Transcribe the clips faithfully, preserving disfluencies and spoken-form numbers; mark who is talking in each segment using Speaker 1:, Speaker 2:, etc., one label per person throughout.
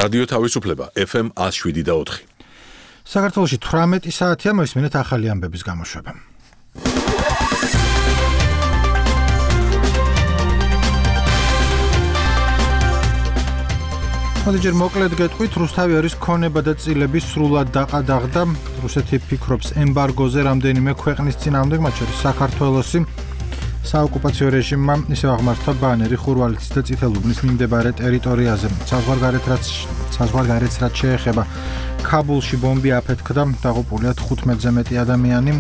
Speaker 1: რადიო თავისუფლება ეფ ემ one oh seven და four.
Speaker 2: საქართველოში თვრამეტი საათია, მოისმინეთ ახალი ამბების გამოშვება. მოდიჯერ მოკლედ გეტყვით, რუსთავი არის ქონება და წილები სრულად დაყადაღდა. რუსეთი ფიქრობს ემბარგოზე რამდენიმე ქვეყნის წინააღმდეგ, მათ შორის საქართველოსი. საოკუპაციო რეჟიმმა ისევ აღმართა ბანერი ხურვალეთის და წითელუბნის მიმდებარე ტერიტორიაზე. საზღვარგარეთს რაც შეეხება, ქაბულში ბომბი აფეთქდა, დაღუპულია თხუთმეტზე მეტი ადამიანი.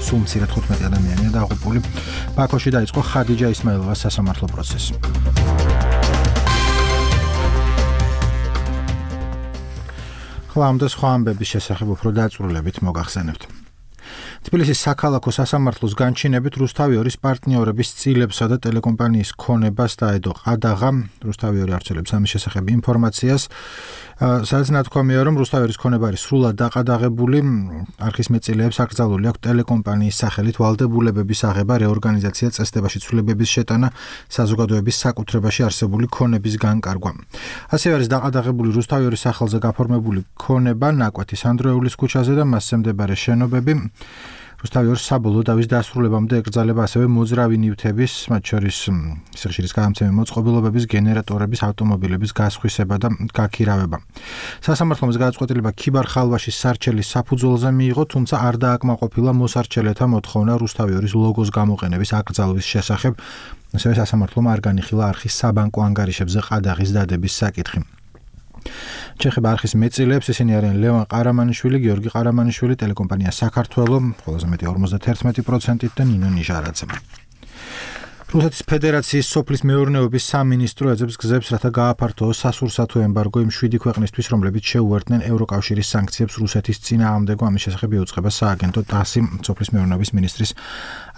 Speaker 2: სულ მცირედ თხუთმეტი ადამიანია დაღუპული. ბაქოში დაიწყო ხადიჯა ისმაილოვას სასამართლო პროცესი. ამ და სხვა ამბების შესახებ უფრო დაწვრილებით მოგახსენებთ. თბილისის საქალაქო სასამართლოს განჩინებით რუსთავი ორის პარტნიორების წილებსა და ტელეკომპანიის ქონებას დაედო ყადაღა. რუსთავი ორი არცელებს ამის შესახებ ინფორმაციას. სადაც ნათქვამია, რომ რუსთავი ორის ქონება არის სრულად დაყადაღებული. არქის მეწილეებს აკრძალული აქვს ტელეკომპანიის სახელით ვალდებულებების აღება, რეორგანიზაცია, წესდებაში ცვლილებების შეტანა, საზოგადოების საკუთრებაში არსებული ქონების განკარგვა. ასევე არის დაყადაღებული რუსთავი ორის სახელზე გაფორმებული ქონება ნაკვეთის ანდროეულის ქუჩაზე და მასზე მდებარე შენობები. რუსთავი ორის საბოლოო დავის დასრულებამდე ეკრძალება ასევე მოძრავი ნივთების, მათ შორის სიხშირის გადამცემი მოწყობილობების, გენერატორების, ავტომობილების გასხვისება და გაქირავება. სასამართლომ გადაწყვეტილება ქიბარ-ხალვაშის სარჩელის საფუძველზე მიიღო, თუმცა არ დააკმაყოფილა მოსარჩელეთა მოთხოვნა რუსთავი ორის ლოგოს გამოყენების აკრძალვის შესახებ. ასევე სასამართლომ არ განიხილა არხის საბანკო ანგარიშებზე ყადაღის დადების საკითხი. ჩეხება არხის მეწილეებს, ისინი არიან ლევან ყარამანიშვილი, გიორგი ყარამანიშვილი, ტელეკომპანია საქართველო, ყველაზე მეტი ორმოცდაერთმეტი პროცენტით და ნინო ნიჟარაძე. რუსეთის ფედერაციის სოფლის მეურნეობის სამინისტრო ეძებს გზებს, რათა გააფართოოს სასურსათო ემბარგო იმ შვიდი ქვეყნისთვის, რომლებიც შეუერთდნენ ევროკავშირის სანქციებს რუსეთის წინააღმდეგ. ამის შესახებ იუწყება სააგენტო ტასი სოფლის მეურნეობის მინისტრის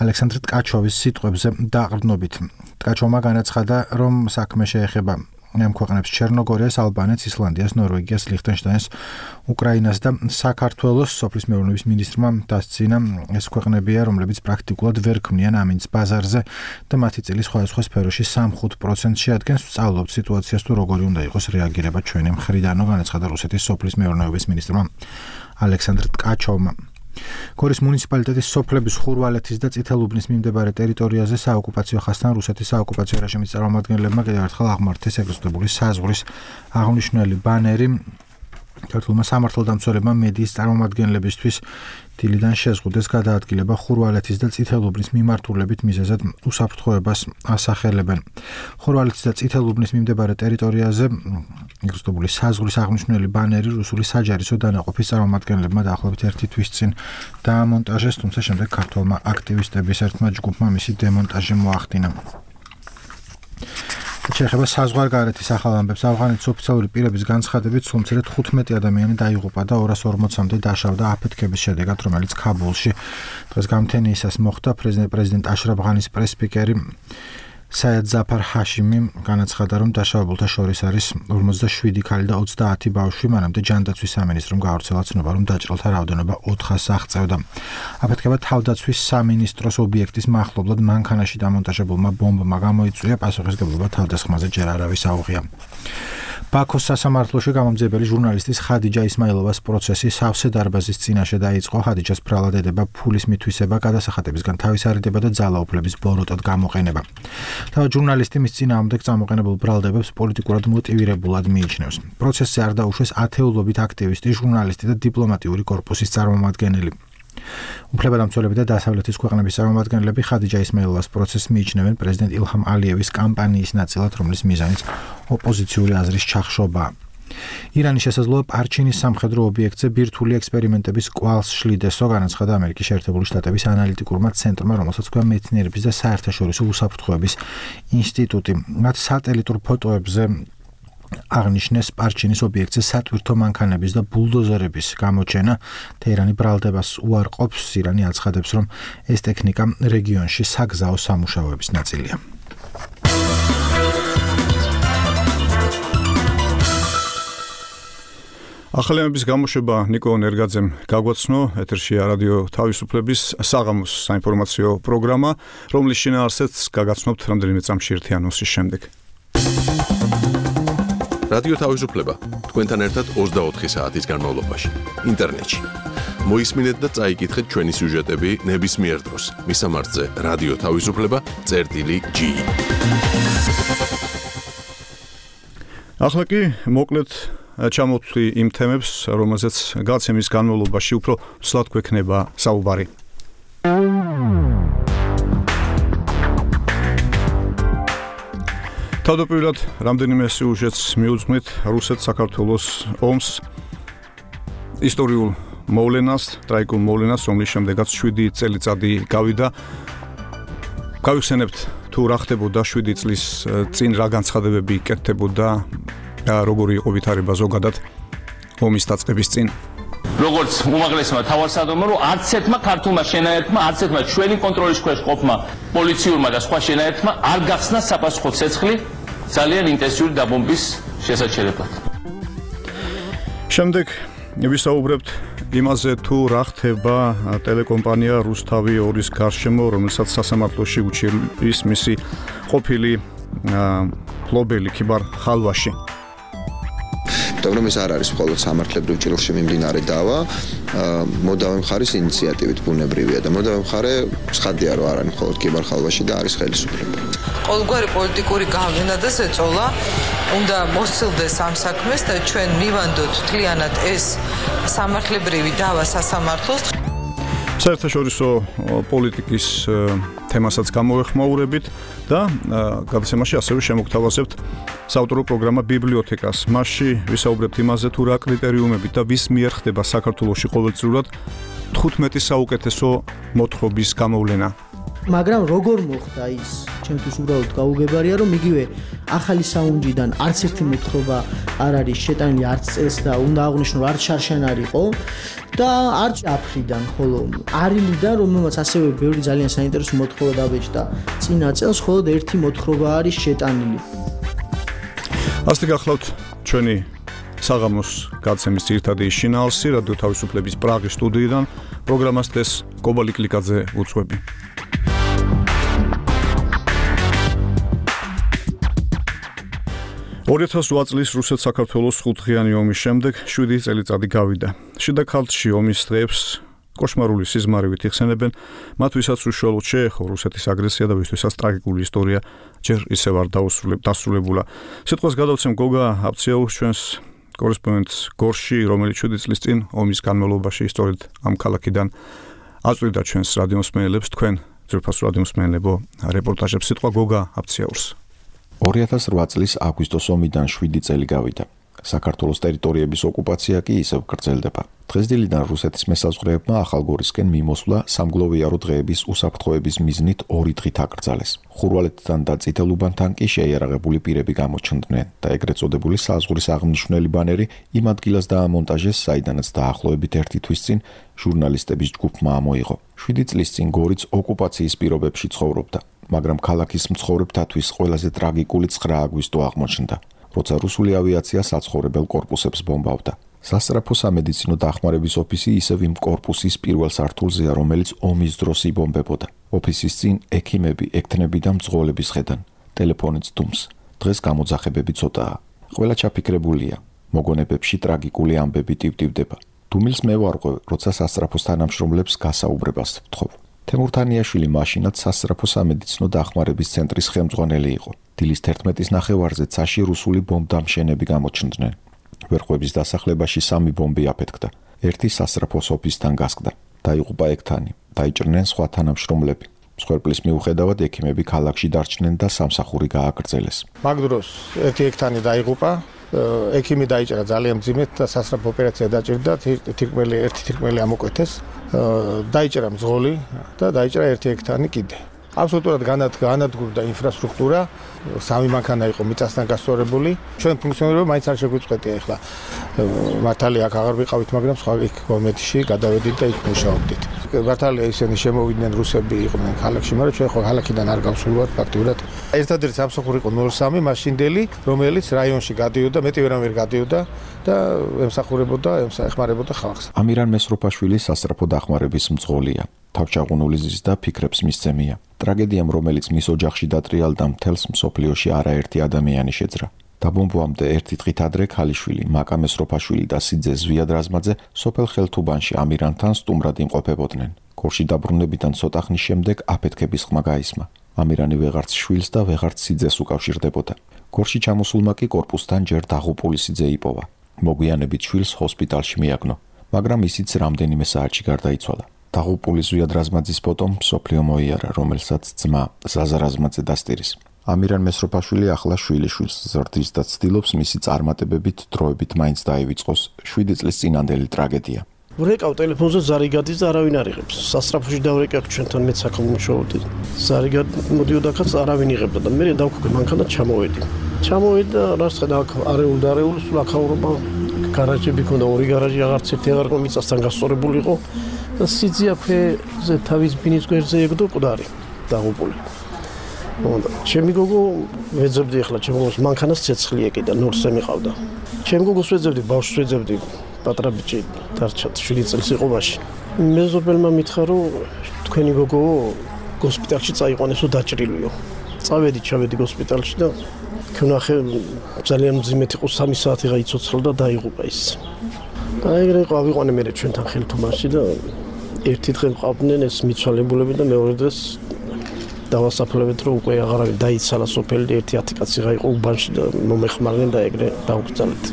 Speaker 2: ალექსანდრ ტკაჩოვის სიტყვებზე დაყრდნობით. ტკაჩოვმა განაცხადა, რომ საქმე შეეხება ამ ქვეყნებს ჩერნოგორიას, ალბანეთს, ისლანდიას, ნორვეგიას, ლიხტენშტაინს, უკრაინას და საქართველოს. სოფლის მეურნეობის მინისტრმა დასცინა, ეს ქვეყნებია, რომლებიც პრაქტიკულად ვერ ქმნიან ამინდს ბაზარზე და მათი წილი სხვადასხვა სფეროში სამი-ხუთი პროცენტს შეადგენს. ვსწავლობთ სიტუაციას თუ როგორი უნდა იყოს რეაგირება ჩვენი მხრიდანო, განაცხადა რუსეთის სოფლის მეურნეობის მინისტრმა ალექსანდრ ტკაჩოვმა. გორის მუნიციპალიტეტის სოფლების ხურვალეთის და წითელუბნის მიმდებარე ტერიტორიაზე საოკუპაციო ხასთან რუსეთის საოკუპაციო რეჟიმის წარმომადგენლებმა კიდევ ერთხელ აღმართეს ეგროსტებული საზღვრის აღნიშნული ბანერი. ქართულმა სამართალდამცველებმა მედიის წარმომადგენლებისთვის დილიდან შეზღუდეს გადაადგილება ხურვალეთის და წითელუბნის მიმართულებით, მიზეზად უსაფრთხოებას ასახელებენ. ხურვალეთის და წითელუბნის მიმდებარე ტერიტორიაზე ეგროსტებული საზღვრის აღნიშნული ბანერი რუსული საჯარისო დანაყოფის წარმომადგენლებმა დაახლოებით ერთი თვის წინ დაამონტაჟეს, თუმცა შემდეგ ქართველმა აქტივისტების ერთმა ჯგუფმა მისი დემონტაჟი მოახდინა. შეეხება საზღვარგარეთის ახალ ამბებს. ავღანეთის ოფიციალური პირების განცხადებით, სულ მცირედ თხუთმეტი ადამიანი დაიღუპა და ორას ორმოცამდე დაშავდა აფეთქების შედეგად, რომელიც ქაბულში დღეს გამთენიისას მოხდა. პრეზიდენტ აშრაფ ღანის პრესსპიკერი საიად ზაფარ ჰაშიმი განაცხადა, რომ დაშავებულთა შორის არის ორმოცდაშვიდი ქალი და ოცდაათი ბავშვი. მანამდე ჯანდაცვის სამინისტრომ გაავრცელა ცნობა, რომ დაჭრილთა რაოდენობა ოთხას აღწევდა. აფეთქება თავდაცვის სამინისტროს ობიექტის მახლობლად მანქანაში დამონტაჟებულმა ბომბმა გამოიწვია, პასუხისმგებლობა თავდასხმაზე ჯერ არავის აუღია. ბაქოს სასამართლოში გამომძიებელი ჟურნალისტის ხადიჯა ისმაილოვას პროცესი სავსე დარბაზის წინაშე დაიწყო. ხადიჯას ბრალად ედება ფულის მითვისება, გადასახადებისგან თავისარიდება და ძალაუფლების ბოროტად გამოყენება. თავად ჟურნალისტი მის წინააღმდეგ წამოყენებულ ბრალდებებს პოლიტიკურად მოტივირებულად მიიჩნევს. პროცესზე არ დაუშვეს ათეულობით აქტივისტი, ჟურნალისტი და დიპლომატიური კორპუსის წარმომადგენელი. უფლებადამცველები და დასავლეთის ქვეყნების წარმომადგენლები ხადიჯა ისმაილოვას პროცესს მიიჩნევენ პრეზიდენტ ილჰამ ალიევის კამპანიის ნაწილად, რომლის მიზანიც ოპოზიციური აზრის ჩახშობაა. ირანის შესაძლოა პარჩინის სამხედრო ობიექტზე ბირთვული ექსპერიმენტების კვალს შლიდესო, განაცხადა ამერიკის შეერთებული შტატების ანალიტიკურმა ცენტრმა, რომელსაც ქვია მეცნიერების და საერთაშორისო უსაფრთხოების ინსტიტუტი. მათ სატელიტურ ფოტოებზე აღნიშნეს პარჩინის ობიექტზე სატვირთო მანქანების და ბულდოზერების გამოჩენა. თეირანი ბრალდებას უარყოფს. ირანი აცხადებს, რომ ეს ტექნიკა რეგიონში საგზაო სამუშაოების ნაწილია.
Speaker 3: ახალი ამბების გამოშვება ნიკო ნერგაძემ გაგვაცნო. ეთერშია რადიო თავისუფლების საღამოს საინფორმაციო პროგრამა, რომლის შინაარსიც გაგაცნობთ რამდენიმე წამში ერთი ანონსის შემდეგ.
Speaker 1: რადიო თავისუფლება თქვენთან ერთად ოცდაოთხი საათის განმავლობაში ინტერნეტში. მოისმინეთ და წაიკითხეთ ჩვენი სიუჟეტები ნებისმიერ დროს. მისამართზე რადიო თავისუფლება წერტილი ჯი.
Speaker 3: ახლა კი მოკლედ ჩამოვთვლი იმ თემებს, რომელზეც გაცემის განმავლობაში უფრო ცლად გვექნება საუბარი. თავდაპირველად რამდენიმე სიუჟეტს მიუძღვნით რუსეთ საქართველოს ომს, ისტორიულ მოვლენას, ტრაგიკულ მოვლენას, რომლის შემდეგაც შვიდი წელიწადი გავიდა. გავიხსენებთ თუ რა ხდებოდა შვიდი წლის წინ, რა განცხადებები იკეთებოდა, როგორი იყო ვითარება ზოგადად ომის დაწყების წინ.
Speaker 4: როგორც უმაღლესმა თავარსარდლმა, რომ არც ერთმა ქართულმა შენაერთმა, არც ერთმა ჩვენი კონტროლის ქვეშ ყოფმა პოლიციურმა და სხვა შენაერთმა არ გახსნა საპასუხო ცეცხლი ძალიან ინტენსიური დაბომბვის შესაჩერებლად.
Speaker 3: შემდეგ ვისაუბრებთ იმაზე, თუ რა ხდება ტელეკომპანია რუსთავი ორის გარშემო, რომელსაც სასამართლოში უჩირის მისი ყოფილი ფლობელი ქიბარ ხალვაში.
Speaker 5: მაგრამ ეს არ არის მხოლოდ სამართლებრივ ჭრილში მიმდინარე დავა, მოდავე მხარის ინიციატივით ბუნებრივია და მოდავე მხარე ცხადია, რომ არ არის მხოლოდ ქიბარ ხალვაში და არის ხელისუფლება.
Speaker 6: ყოველგვარი პოლიტიკური გავლენა და ზეწოლა უნდა მოსცილდეს ამ საქმეს და ჩვენ მივანდოთ მთლიანად ეს სამართლებრივი დავა სასამართლოს.
Speaker 3: საერთაშორისო პოლიტიკის თემასაც გამოვეხმაურებით და გადაცემაში ასევე შემოგთავაზებთ საავტორო პროგრამა ბიბლიოთეკას. მასში ვისაუბრებთ იმაზე, თუ რა კრიტერიუმებით და ვის მიერ ხდება საქართველოში ყოველწლიურად თხუთმეტი საუკეთესო მოთხრობის გამოვლენა.
Speaker 7: მაგრამ როგორ მოხდა ის? ჩემთვის უბრალოდ გაუგებარია, რომ იგივე ახალი საუნჯიდან არც ერთი მოთხრობა არ არის შეტანილი არც წელს და უნდა აღვნიშნო არც შარშან იყო და არც აფრიდან, ხოლო არილიდან, რომელმაც ასევე ბევრი ძალიან საინტერესო მოთხრობა დაბეჭდა წინა წელს, მხოლოდ ერთი მოთხრობა არის შეტანილი.
Speaker 3: ასე გახლავთ ჩვენი საღამოს გაცემის ძირითადი შინაარსი რადიო თავისუფლების პრაღის სტუდიიდან. პროგრამას დეს კობალი კლიკაძე უძღვები. ორი ათას ოთხ წლის რუსეთ-საქართველოს ხუთდღიანი ომის შემდეგ შვიდი წელიწადი გავიდა. შიდა ქალთში ომის დღეებს კოშმარული სიზმარივით იხსენებენ, მათ ვისაც უშუალოდ შეეხო რუსეთის აგრესია და ვისთვისაც ტრაგიკული ისტორია ჯერ ისევ არ დასრულებულა. სიტყვას გადავცემ გოგა აფციაურს, ჩვენს კორესპონდენტს გორში, რომელიც შვიდი წლის წინ ომის განმავლობაში სწორედ ამ ქალაქიდან აწვდიდა ჩვენს რადიომსმენელებს, თქვენ ძვირფასო რადიომსმენელებო რეპორტაჟებს. სიტყვა გოგა აფციაურს.
Speaker 8: ორი ათას ოთხ წლის აგვისტოს ომიდან შვიდი წელი გავიდა. საქართველოს ტერიტორიების ოკუპაცია კი ისევ გრძელდება. დღესდილიდან რუსეთის მესაზღვრეებმა ახალგორისკენ მიმოსვლა სამგლოვიარო დღეების უსაფრთხოების მიზნით ორი დღით აკრძალეს. ხურვალეთთან და წითელუბანთან კი შეიარაღებული პირები გამოჩნდნენ და ეგრეთ წოდებული საზღვრის აღნიშნული ბანერი იმ ადგილას დაამონტაჟეს, საიდანაც დაახლოებით ერთი თვის წინ ჟურნალისტების ჯგუფმა ამოიღო. შვიდი წლის წინ გორიც ოკუპაციის პირობებში ცხოვრობდა, მაგრამ ქალაქის მცხოვრებთათვის ყველაზე ტრაგიკული ცხრა აგვისტო აღმოჩნდა, როცა რუსული ავიაცია საცხოვრებელ კორპუსებს ბომბავდა. სასწრაფო სამედიცინო დახმარების ოფისი ისევ იმ კორპუსის პირველ სართულზეა, რომელიც ომის დროს იბომბებოდა. ოფისის წინ ექიმები, ექთნები და მძღოლები სხედან. ტელეფონიც დუმს. დღეს გამოძახებები ცოტაა. ყველა ჩაფიქრებულია. მოგონებებში ტრაგიკული ამბები ტივტივდება. დუმილს მე ვარღვევ, როცა სასწრაფოს თანამშრომლებს გასაუბრებას ვთხოვ. თემურთანიაშვილი მაშინაც სასწრაფო სამედიცინო დახმარების ცენტრის ხელმძღვანელი იყო. დილის თერთმეტის ნახევარზე ცაში რუსული ბომბდამშენები გამოჩნდნენ. ვერხვების დასახლებაში სამი ბომბი აფეთქდა. ერთი სასწრაფოს ოფისთან გასკდა. დაიღუპა ექთანი, დაიჭრნენ სხვა თანამშრომლები. მსხვერპლის მიუხედავად ექიმები ქალაქში დარჩნენ და სამსახური გააგრძელეს.
Speaker 9: მაგ დროს ერთი ექთანი დაიღუპა, ექიმი დაიჭრა ძალიან მძიმედ და სასწრაფო ოპერაცია დაჭირდა, თირკმელი ერთი თირკმელი ამოკვეთეს, დაიჭრა მძღოლი და დაიჭრა ერთი ექთანი კიდე. აბსოლუტურად განადგურდა ინფრასტრუქტურა, სამი მანქანა იყო მიწასთან გასწორებული. ჩვენ ფუნქციონირება მაინც არ შეგვიწყვეტია ახლა. მართალია აქ აღარ ვიყავით, მაგრამ სხვა იქ გომეთში გადავედით და იქ მუშაობდით. მართალია ისინი შემოვიდნენ რუსები იყვნენ ქალაქში, მაგრამ ჩვენ ხო ქალაქიდან არ გავსულვართ ფაქტიურად. ერთადერთი სამსახური იყო ნულ სამი მაშინდელი, რომელიც რაიონში გადიოდა, მეტი ვერავინ გადიოდა და ემსახურებოდა, ეხმარებოდა ხალხს.
Speaker 8: ამირან მესროფაშვილი სასწრაფო დახმარების მძღოლია. თავჩაღუნული ზის და ფიქრებს მისცემია. ტრაგედიამ, რომელიც მის ოჯახში დატრიალდა, მთელს მსოფლიოში არაერთი ადამიანი შეძრა. დაბომბვამდე ერთი დღით ადრე ქალიშვილი, მაკა მესროფაშვილი და სიძე ზვიად რაზმაძე სოფელ ხელთუბანში ამირანთან სტუმრად იმყოფებოდნენ. გორში დაბრუნებიდან ცოტა ხნის შემდეგ აფეთქების ხმა გაისმა. ამირანი ვეღარც შვილს და ვეღარც სიძეს უკავშირდებოდა. გორში ჩამოსულმა კი კორპუსთან ჯერ დაღუპული სიძე იპოვა. მოგვიანებით შვილს ჰოსპიტალში მიაგნო, მაგრამ ისიც რამდენიმე საათში გარდაიცვალა. დაღუპული ზვიად რაზმაძის ფოტომ მსოფლიო მოიარა, რომელსაც ძმა ზაზა რაზმაძე დასტირის. ამირან მესროფაშვილი ახლა შვილიშვილს ზრდის და ცდილობს მისი წარმატებებით დროებით მაინც დაივიწყოს შვიდი წლის წინანდელი ტრაგედია.
Speaker 10: ვრეკავ ტელეფონზე ზარი გადის და არავინ არ იღებს. სასწრაფოში დავრეკავ ჩვენთან მეც საკომუნიკაციოდ. ზარი მოდიოდა ხაც არავინ იღებდა და მე დავქუქე მანქანა ჩამოვედი. ჩამოვედი და რას ხედა აქ არეულ და არეულ სულ აქაურობა გარაჟები ქონდა, ორი გარაჟი აღარც ერთი აღარ ყო მიწასთან გასწორებული იყო და სიძე აქვეზე თავის ბინის გვერდზე ეგდო მკვდარი დაღუპული. ჩემი გოგო ვეძებდი ახლა ჩემ გოგოს მანქანას ცეცხლი ეკიდა ნორსზე მიყავდა. ჩემ გოგოს ვეძებდი, ბავშვს ვეძებდი, პატრა ბიჭი დარჩა შვიდი წელს იყო მაშინ. მეზობელმა მითხრა რომ თქვენი გოგო ჰოსპიტალში წაიყვანესო დაჭრილიო. წავედი, ჩავედი ჰოსპიტალში და ქნახე ძალიან მძიმედ იყო სამი საათი გაიცოცხლა და დაიღუპა ის. და ეგრე იყო ავიყვანე მე ჩვენთან ხელთუბანში და ერთი დღე მყავდნენ ეს მიცვალებულები და მეორე დღეს დავასაფლავეთ რომ უკვე აღარავინ დაიცალა სოფელი ერთი ათი კაცი გაიყო უბანში და მომეხმარნენ და ეგრე დაუგრძალეთ.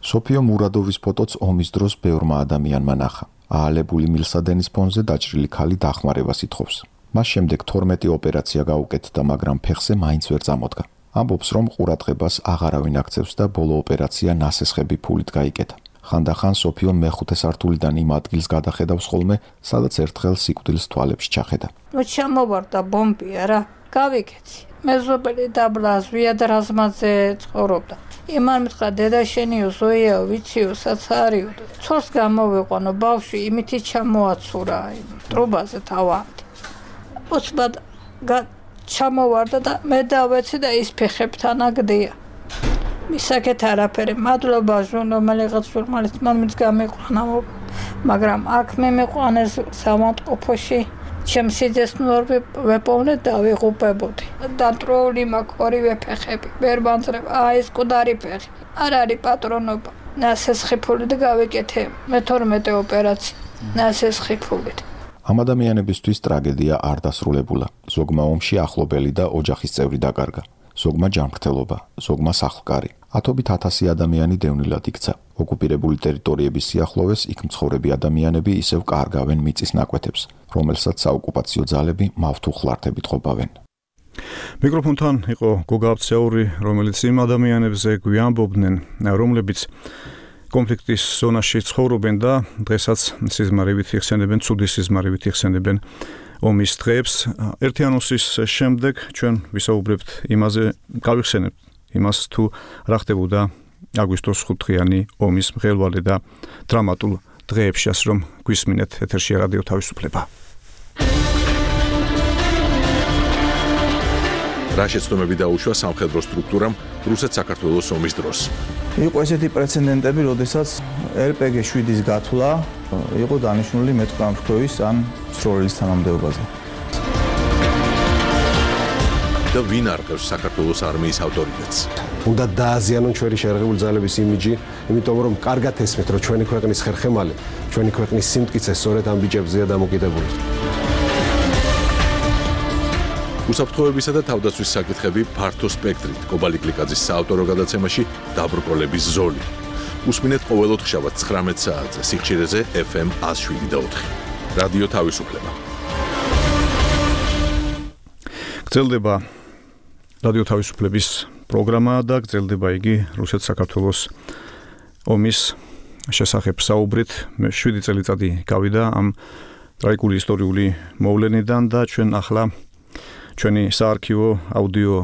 Speaker 8: სოფიო მურადოვის ფოტოც ომის დროს ბევრმა ადამიანმა ნახა. აალებული მილსადენის ფონზე დაჭრილი ქალი დახმარებას ითხოვს. მას შემდეგ თორმეტი ოპერაცია გაუკეთდა, მაგრამ ფეხზე მაინც ვერ წამოდგა. ამბობს რომ ყურადღებას აღარავინ აქცევს და ბოლო ოპერაცია ნასესხები ფულით გაიკეთა. ხანდახან სოფიო მეხუთე სართულიდან იმ ადგილს გადახედავს ხოლმე, სადაც ერთხელ სიკვდილს თვალებში ჩახედა.
Speaker 11: ნუ ჩამოვარდა ბომბია რა, გავიკეთე. მეზობელი დაბლა ზვიად რაზმაძე ცხოვრობდა. იმან მითხრა დედა შენიო ზოიაო ვიციო საცარიო. ცოლს გამოვიყვანო ბავშვი იმითი ჩამოაცურა ტრუბაზე თავამდე. უცბად ჩამოვარდა და მე დავეცი და ის ფეხებთან აგდია. მისაკეთ არაფერი, მადლობა ჟურნალისტ ჟურნალისტ მომიც გამიყვანა, მაგრამ აქ მე მეყვანეს სამავტყოფოში, ჩემს სიძეს ნორ ვეპოვნე და ვიღუპებოდი. დანტროული მაქვს ორივე ფეხები, ვერ მანძრებ, აი ეს მკვდარი ფეხი. არ არის პატრონობა. ნასესხი ფულით გავიკეთე, მეთორმეტე ოპერაცია, ნასესხი ფულით.
Speaker 8: ამ ადამიანებისთვის ტრაგედია არ დასრულებულა. ზოგმა ომში ახლობელი და ოჯახის წევრი დაკარგა. ზოგმა ჯანმრთელობა, ზოგმა სახლკარი. ათობით ათასი ადამიანი დევნილად იქცა. ოკუპირებული ტერიტორიების სიახლოვეს იქ მცხოვრები ადამიანები ისევ კარგავენ მიწის ნაკვეთებს, რომელსაც საოკუპაციო ძალები მავთუხლართებით ყოფავენ.
Speaker 3: მიკროფონთან იყო გოგა აბცაური, რომელიც იმ ადამიანებზე გვიამბობდნენ, რომლებიც კონფლიქტის ზონაში ცხოვრობენ და დღესაც სიზმარებით იხსენებენ, ცუდი სიზმარებით იხსენებენ ომის დღეებს. ერთი ანონსის შემდეგ ჩვენ ვისაუბრებთ იმაზე, გავიხსენებთ იმას თუ რა ხდებოდა აგვისტოს ხუთდღიანი ომის მღელვარე და დრამატულ დღეებში, რომ გვისმინეთ ეთერში რადიო თავისუფლება.
Speaker 1: რა შეცდომები დაუშვა სამხედრო სტრუქტურამ რუსეთ-საქართველოს ომის დროს.
Speaker 12: იყო ესეთი პრეცედენტები, როდესაც ელ პე გი შვიდის გათვლა იყო დანიშნული მეტყამფრქვევის ან სროლის თანამდებობაზე.
Speaker 1: და ვინ არყევს საქართველოს არმიის ავტორიტეტს?
Speaker 13: უნდა დააზიანონ ჩვენი შერღებული ძალების იმიჯი, იმიტომ რომ კარგად ესმით, რომ ჩვენი ქვეყნის ხერხემალი, ჩვენი ქვეყნის სიმტკიცე სწორედ ამ ბიჭებზეა დამოკიდებული.
Speaker 1: უსაფრთხოებისა და თავდაცვის საკითხები ფართო სპექტრით. კობალი კლიკაძის საავტორო გადაცემაში დაბრკოლების ზოლი. უსმინეთ ყოველ ოთხშაბათს ცხრამეტ საათზე სიხშირეზე ეფ ემ ათს შვიდი და ოთხი. რადიო თავისუფლება.
Speaker 3: გრძელდება რადიო თავისუფლების პროგრამა და გრძელდება იგი რუსეთ-საქართველოს ომის შესახებ საუბრით. შვიდი წელიწადი გავიდა ამ ტრაგიკული ისტორიული მოვლენიდან და ჩვენ ახლა ჩვენი საარქივო აუდიო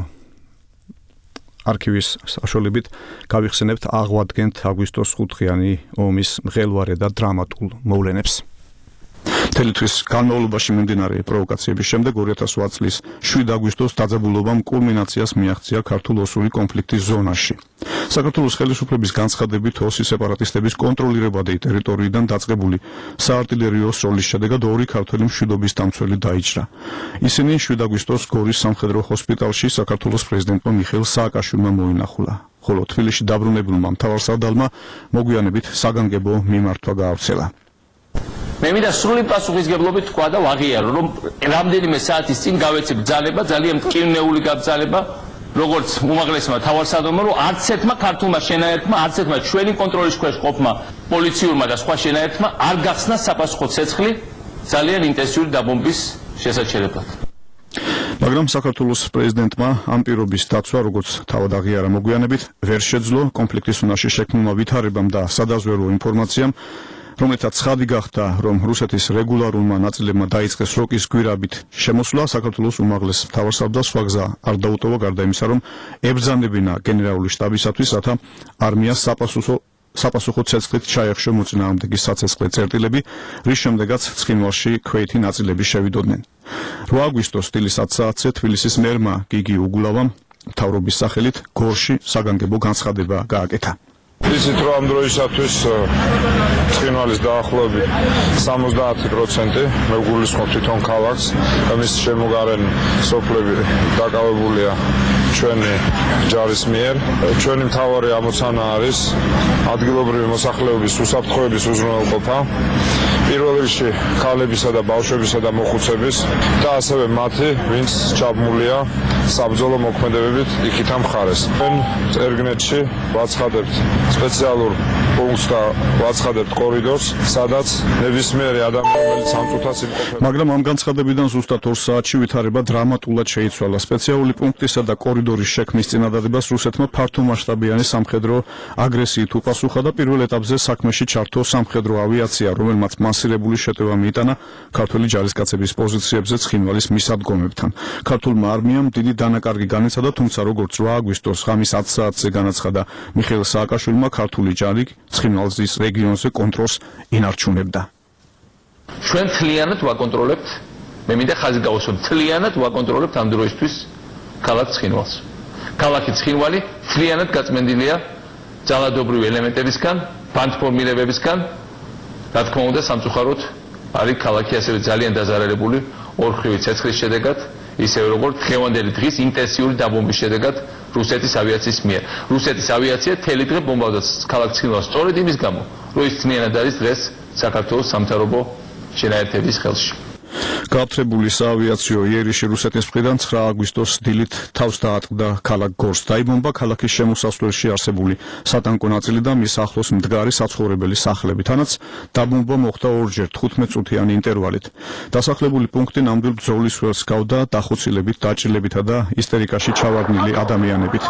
Speaker 3: არქივის საშუალებით გავიხსენებთ აღვადგენთ აგვისტოს ხუთდღიანი ომის მღელვარე და დრამატულ მოვლენებს. მთელი თვის განმავლობაში მიმდინარე პროვოკაციების შემდეგ ორი ათას ოთხ წლის შვიდი აგვისტოს დაძაბულობამ კულმინაციას მიაღწია ქართულ-ოსური კონფლიქტის ზონაში. საქართველოს ხელისუფლების განცხადებით ოსი სეპარატისტების კონტროლირებადი ტერიტორიიდან დაწყებული საარტილერიო სროლის შედეგად ორი ქართველი მშვიდობის დამცველი დაიჭრა. ისინი შვიდი აგვისტოს გორის სამხედრო ჰოსპიტალში საქართველოს პრეზიდენტმა მიხეილ სააკაშვილმა მოინახულა. ხოლო თბილისში დაბრუნებულმა მთავარსარდალმა მოგვიანებით საგანგებო მიმართვა გაავრცელა.
Speaker 4: მე მინდა სრული პასუხისგებლობით თქვა და ვაღიარო, რომ რამდენიმე საათის წინ გავეცი ბრძანება, ძალიან მტკივნეული გაბრძანება, როგორც უმაღლესმა თავარსარდალმა, რომ არც ერთმა ქართულმა შენაერთმა, არც ერთმა ჩვენი კონტროლის ქვეშ ყოფმა პოლიციურმა და სხვა შენაერთმა არ გახსნა საპასუხო ცეცხლი ძალიან ინტენსიური დაბომბვის შესაჩერებლად.
Speaker 3: მაგრამ საქართველოს პრეზიდენტმა ამ პირობის დაცვა, როგორც თავად აღიარა მოგვიანებით, ვერ შეძლო კონფლიქტის უნარში შექმნილმა ვითარებამ და სადაზვერვო ინფორმაციამ, რომელთაც ცხადი გახდა, რომ რუსეთის რეგულარულმა ნაწილებმა დაიწყეს როკის გვირაბით შემოსვლა, საქართველოს უმაღლეს მთავარსარდალს სხვა გზა არ დაუტოვა, გარდა იმისა, რომ ებრძანებინა გენერალური შტაბისათვის, რათა არმიას საპასუხო საპასუხო ცეცხლით ჩაეხშო მოწინააღმდეგის საცეცხლე წერტილები, რის შემდეგაც ცხინვალში ქვეითი ნაწილები შევიდოდნენ. რვა აგვისტოს დილის ათი საათზე თბილისის მერმა გიგი უგულავამ მთავრობის სახელით გორში საგანგებო განცხადება გააკეთა.
Speaker 14: იცით რომ ამ დროისათვის ცხინვალის დაახლოებით სამოცდაათი პროცენტი მე ვგულისხმობ თვითონ ქალაქს, მის შემოგარენ სოფლები დაკავებულია ჩვენი ჯარის მიერ. ჩვენი მთავარი ამოცანა არის ადგილობრივი მოსახლეობის უსაფრთხოების უზრუნველყოფა, პირველ რიგში ქალებისა და ბავშვებისა და მოხუცების და ასევე მათი, ვინც ჩაბმულია საბრძოლო მოქმედებებით იქითა მხარეს. ჩვენ წერგნეთში ვაცხადებთ სპეციალურ პუნქტს და ვაცხადებთ კორიდორს, სადაც ნებისმიერი ადამიანი, რომელიც ამ წუთას იმყოფება.
Speaker 3: მაგრამ ამ განცხადებიდან ზუსტად ორ საათში ვითარება დრამატულად შეიცვალა. სპეციალური პუნქტისა და კორიდორის შექმნის წინადადებას რუსეთმა ფართომასშტაბიანი სამხედრო აგრესიით უპასუხა და პირველ ეტაპზე საქმეში ჩართო სამხედრო ავიაცია, რომელმაც მასირებული შეტევა მიიტანა ქართული ჯარისკაცების პოზიციებზე ცხინვალის მისადგომებთან. ქართულმა არმიამ დიდი დანაკარგი განიცადა, თუმცა როგორც რვა აგვისტოს ღამის ათი საათზე განაცხადა მიხეილ სააკაშვილმა, ქართული ჯარი ცხინვალის რეგიონზე კონტროლს ინარჩუნებდა.
Speaker 4: ჩვენ თლიანად ვაკონტროლებთ, მე მინდა ხაზი გავუსვამ, თლიანად ვაკონტროლებთ ამ დროისთვის ქალაქ ცხინვალს. ქალაქი ცხინვალი თლიანად გაწმენდილია ძალადობრივი ელემენტებისგან, ბანდფორმირებებისგან, რა თქმა უნდა, სამწუხაროდ არის ქალაქი ასევე ძალიან დაზარალებული ორხრივი ცეცხლის შედეგად, ისევე როგორც დღევანდელი დღის ინტენსიური დაბომბვის შედეგად რუსეთის ავიაციის მიერ. რუსეთის ავიაცია თელი დღე ბომბავდა ქალაქ ცხინვალს სწორედ იმის გამო, რომ ის ძნელად არის დღეს საქართველოს სამთავრობო შენაერთების ხელში.
Speaker 3: გააფთრებული საავიაციო იერიში რუსეთის მხრიდან ცხრა აგვისტოს დილით თავს დაატყდა ქალაქ გორს. დაიბომბა ქალაქის შემოსასვლელში არსებული სატანკო ნაწილი და მის ახლოს მდგარი საცხოვრებელი სახლები. თანაც დაბომბვა მოხდა ორჯერ თხუთმეტ წუთიანი ინტერვალით. დასახლებული პუნქტი ნამდვილ ბრძოლის ველს გავდა დახოცილებით, დაჭრილებითა და ისტერიკაში ჩავარდნილი ადამიანებით.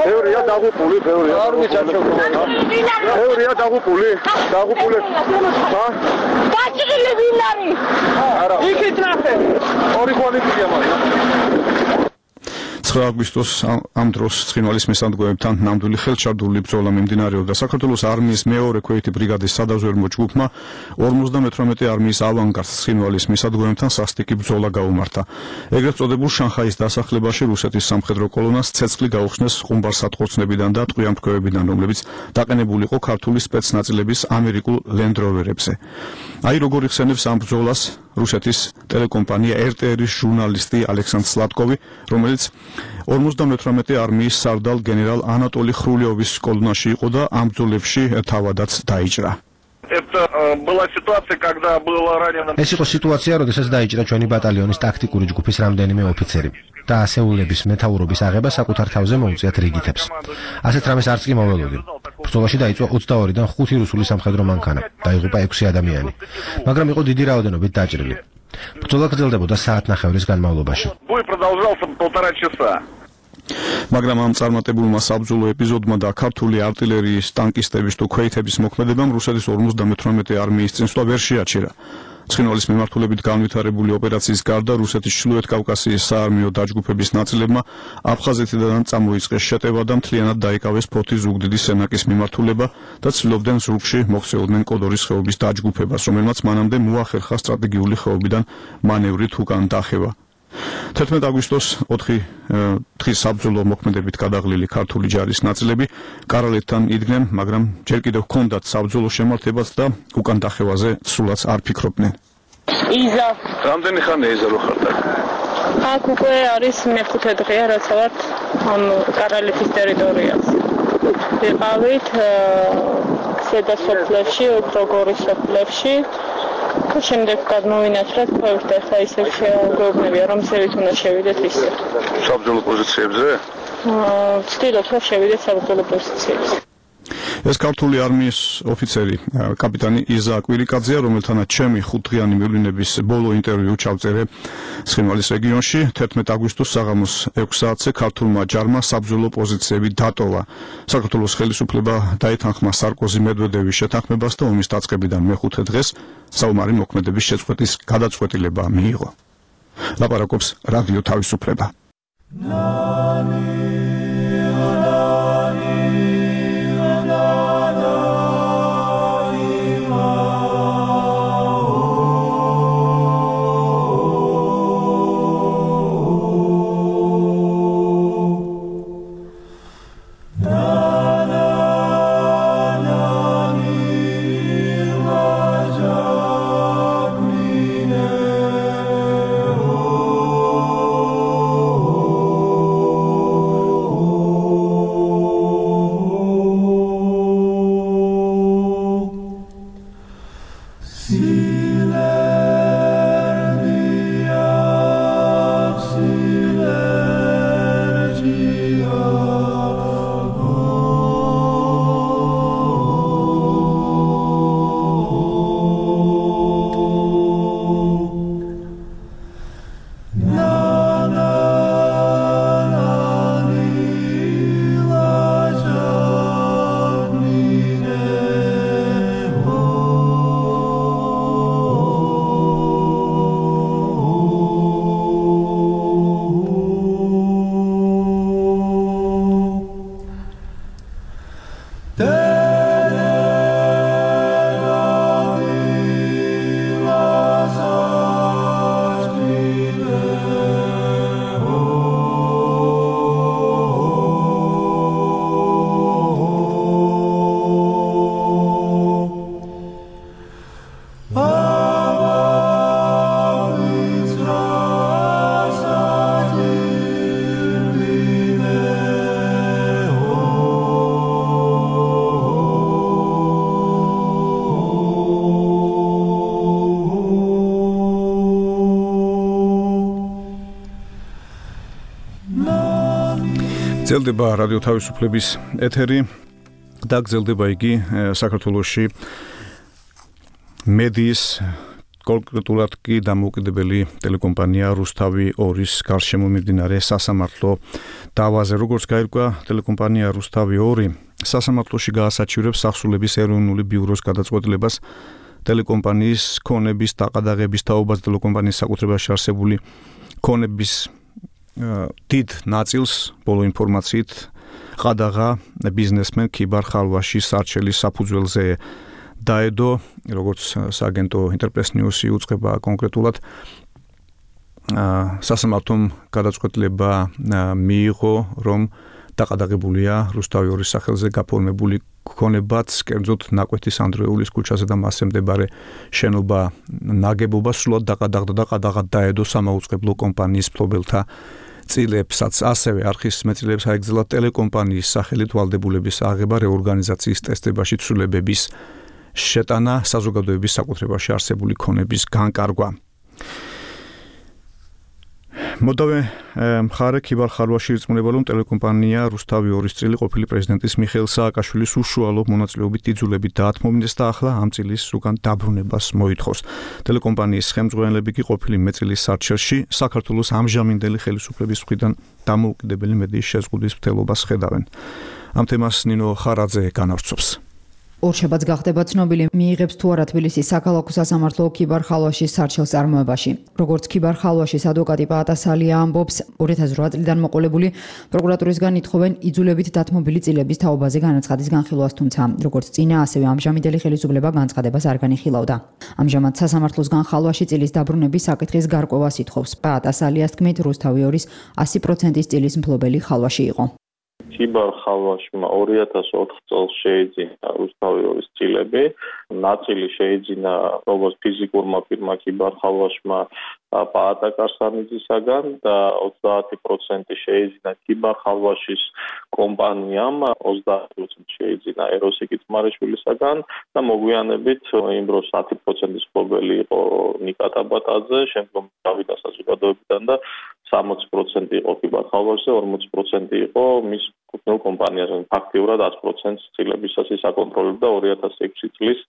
Speaker 14: ბევრია დაღუპული, ბევრია. არ მიჩაჩოგდა. ბევრია დაღუპული, დაღუპული. ხა?
Speaker 15: დაჭრილი ვინ არის?
Speaker 14: არა.
Speaker 15: იქით ნახე.
Speaker 14: ორი ხვალიფია მაგრამ.
Speaker 3: ცხრა აგვისტოს ამ დროს ცხინვალის მისადგომებთან ნამდვილი ხელჩარდული ბრძოლა მიმდინარეობდა. საქართველოს არმიის მეორე ქვეითი ბრიგადის სადაზვერვო ჯგუფმა ორმოცდამეთვრამეტე არმიის ავანგარდს ცხინვალის მისადგომებთან სასტიკი ბრძოლა გაუმართა. ეგრეთ წოდებულ შანხაის დასახლებაში რუსეთის სამხედრო კოლონას ცეცხლი გაუხსნეს ხუმბარ-სატყორცნებიდან და ტყვიამფრქვევებიდან, რომლებიც დაყენებული იყო ქართული სპეცნაწილების ამერიკულ ლენდროვერებზე. აი როგორ იხსენებს ამ ბრძოლას რუსეთის ტელეკომპანია er te er-ის ჟურნალისტი ალექსანდრ სლატკოვი, რომელიც ორმოცდამეთვრამეტე არმიის სარდალ გენერალ ანატოლი ხრულიოვის კოლონაში იყო და ამ ბრძოლებში თავადაც დაიჭრა.
Speaker 14: Это была ситуация, когда было ранено.
Speaker 16: ეს იყო სიტუაცია, როდესაც დაიჭრა ჩვენი ბატალიონის ტაქტიკური ჯგუფის რამდენიმე ოფიცერი და ასეულების მეთაურობის აღება საკუთარ თავზე მოუწიათ რიგითებს. ასეთ რამეს არც კი მოველოდი. ბრძოლაში დაიწყო ოცდაორიდან ხუთი რუსული სამხედრო მანქანა, დაიღუპა ექვსი ადამიანი, მაგრამ იყო დიდი რაოდენობით დაჭრილი. ბრძოლა გრძელდებოდა საათნახევრის განმავლობაში.
Speaker 14: Бой продолжался полтора часа.
Speaker 3: მაგრამ ამ წარმატებულმა საბრძოლო ეპიზოდმა და ქართული артиლერიის ტანკისტების თუ ქვეითების მოქმედებამ რუსეთის ორმოცდამეთვრამეტე არმიის წინსვლა ვერ შეაჩერა. ცხინვალის მიმართულებით განვითარებული ოპერაციის გარდა რუსეთის ჩრდილოეთ კავკასიის საარმიო დაჯგუფების ნაწილებმა აფხაზეთიდან წამოიწყეს შეტევა და მთლიანად დაიკავეს ფოთის ზუგდიდის სენაკის მიმართულება და ცდილობდნენ ზურგში მოქცეოდნენ კოდორის ხეობის დაჯგუფებას, რომელმაც მანამდე მოახერხა სტრატეგიული ხეობიდან მანევრით უკან დახევა. თერთმეტ აგვისტოს ოთხი დღის საბრძოლო მოქმედებით გადაღლილი ქართული ჯარის ნაწილები კარალეთთან იდგნენ, მაგრამ ჯერ კიდევ ჰქონდათ საბრძოლო შემართებაც და უკან დახევაზე სულაც არ ფიქრობდნენ.
Speaker 14: იზა, რამდენი ხანია იზა რო ხარდა?
Speaker 17: აქ უკვე არის მეხუთე დღეა, რაც ვართ ამ კარალეთის ტერიტორიაზე. ვიყავით ზედა სოფლებში, გოგორის სოფლებში. შემდეგ გადმოვინაცვლეთ, ქვევით და ხა ისე შეგვეუბნებია, რომ ზევით უნდა შევიდეთ ისე.
Speaker 14: საბრძოლო პოზიციებზე?
Speaker 17: აა, ვცდილობ, რომ შევიდეთ საბრძოლო პოზიციებზე.
Speaker 3: ეს ქართული არმიის ოფიცერი კაპიტანი იზა კვირიკაძეა, რომელთანაც ჩემი ხუთდღიანი მივლინების ბოლო ინტერვიუ ჩავწერე ცხინვალის რეგიონში თერთმეტ აგვისტოს საღამოს ექვს საათზე ქართულმა ჯარმა საბრძოლო პოზიციები დატოვა. საქართველოს ხელისუფლება დაეთანხმა სარკოზი მედვედევის შეთანხმებას და ომის დაწყებიდან მეხუთე დღეს საომარი მოქმედების შეწყვეტის გადაწყვეტილება მიიღო. ლაპარაკობს რადიო თავისუფლება. გრძელდება რადიო თავისუფლების ეთერი და გრძელდება იგი საქართველოში მედიის კონკრეტულად კი დამოუკიდებელი ტელეკომპანია რუსთავი ორის გარშემო მიმდინარე სასამართლო დავაზე. როგორც გაირკვა, ტელეკომპანია რუსთავი ორი სასამართლოში გაასაჩივრებს სახსრულების ეროვნული ბიუროს გადაწყვეტილებას ტელეკომპანიის ქონების დაყადაღების თაობას ტელეკომპანიის საკუთრებაში არსებული ქონების დიდ ნაწილს ბოლო ინფორმაციით ყადაღა ბიზნესმენ ქიბარ ხალვაშის არჩელის საფუძველზე დაედო, როგორც სააგენტო ინტერპრეს ნიუსი უწყება კონკრეტულად სასამართლომ გადაწყვეტილება მიიღო, რომ დაყადაღებულია რუსთავი ორის სახელზე გაფორმებული ქონებაც, კერძოდ ნაკვეთის ანდრეულის ქუჩაზე და მასზე მდებარე შენობა ნაგებობა სრულად დაყადაღდა და ყადაღად დაედო სამაუწყებლო კომპანიის მფლობელთა წილებსაც. ასევე არხის მეტწილებს აეგზალა ტელეკომპანიის სახელით ვალდებულების აღება, რეორგანიზაციის ტესტებაში ცვლილებების შეტანა, საზოგადოების საკუთრებაში არსებული ქონების განკარგვა. მოდავე მხარე ქიბარ ხალვაში ირწმუნება, რომ ტელეკომპანია რუსთავი ორის წილი ყოფილი პრეზიდენტის მიხეილ სააკაშვილის უშუალო მონაწილეობით იძულებით დაათმობინეს და ახლა ამ წილის უკან დაბრუნებას მოითხოვს. ტელეკომპანიის ხელმძღვანელები კი ყოფილი მეწილის სარჩელში საქართველოს ამჟამინდელი ხელისუფლების მხრიდან დამოუკიდებელი მედიის შეზღუდვის მცდელობას ხედავენ. ამ თემას ნინო ხარაძე განავრცობს.
Speaker 18: ორშაბათს გახდება ცნობილი, მიიღებს თუ არა თბილისის საქალაქო სასამართლო ქიბარ ხალვაშის სარჩელს წარმოებაში. როგორც ქიბარ ხალვაშის ადვოკატი პაატასალია ამბობს, ორი ათას რვა წლიდან მოყოლებული პროკურატურისგან ითხოვენ იძულებით დათმობილი წილების თაობაზე განაცხადის განხილვას, თუმცა როგორც წინა, ასევე ამჟამინდელი ხელისუფლება განცხადებას არ განიხილავდა. ამჟამად სასამართლოსგან ხალვაში წილის დაბრუნების საკითხის გარკვევას ითხოვს. პაატასალიას თქმით, რუსთავი ორის ასი პროცენტის წილის მფლობელი ხალვაში იყო.
Speaker 19: ქიბარ ხალვაშმა ორი ათას ოთხ წელს შეიძინა რუსთავი ორის წილები, ნაწილი შეიძინა როგორც ფიზიკურმა პირმა ქიბარ ხალვაშმა, პაატა კარსანიძისაგან და ოცდაათი პროცენტი შეიძინა კიბარ ხალვაშის კომპანიამ, ოცდაათი პროცენტი შეიძინა ეროსიკი თმარიშვილისაგან და მოგვიანებით იმ დროს ათი პროცენტის მფლობელი იყო ნიკა ტაბატაძე, შემდგომ დავიდა საზოგადოებიდან და სამოცი პროცენტი იყო კიბარ ხალვაშზე, ორმოცი პროცენტი იყო მის კუთვნილ კომპანიაზე. ფაქტიურად ათი პროცენტს ცდილებისას ის აკონტროლებდა ორი ათასი ექვსი წლის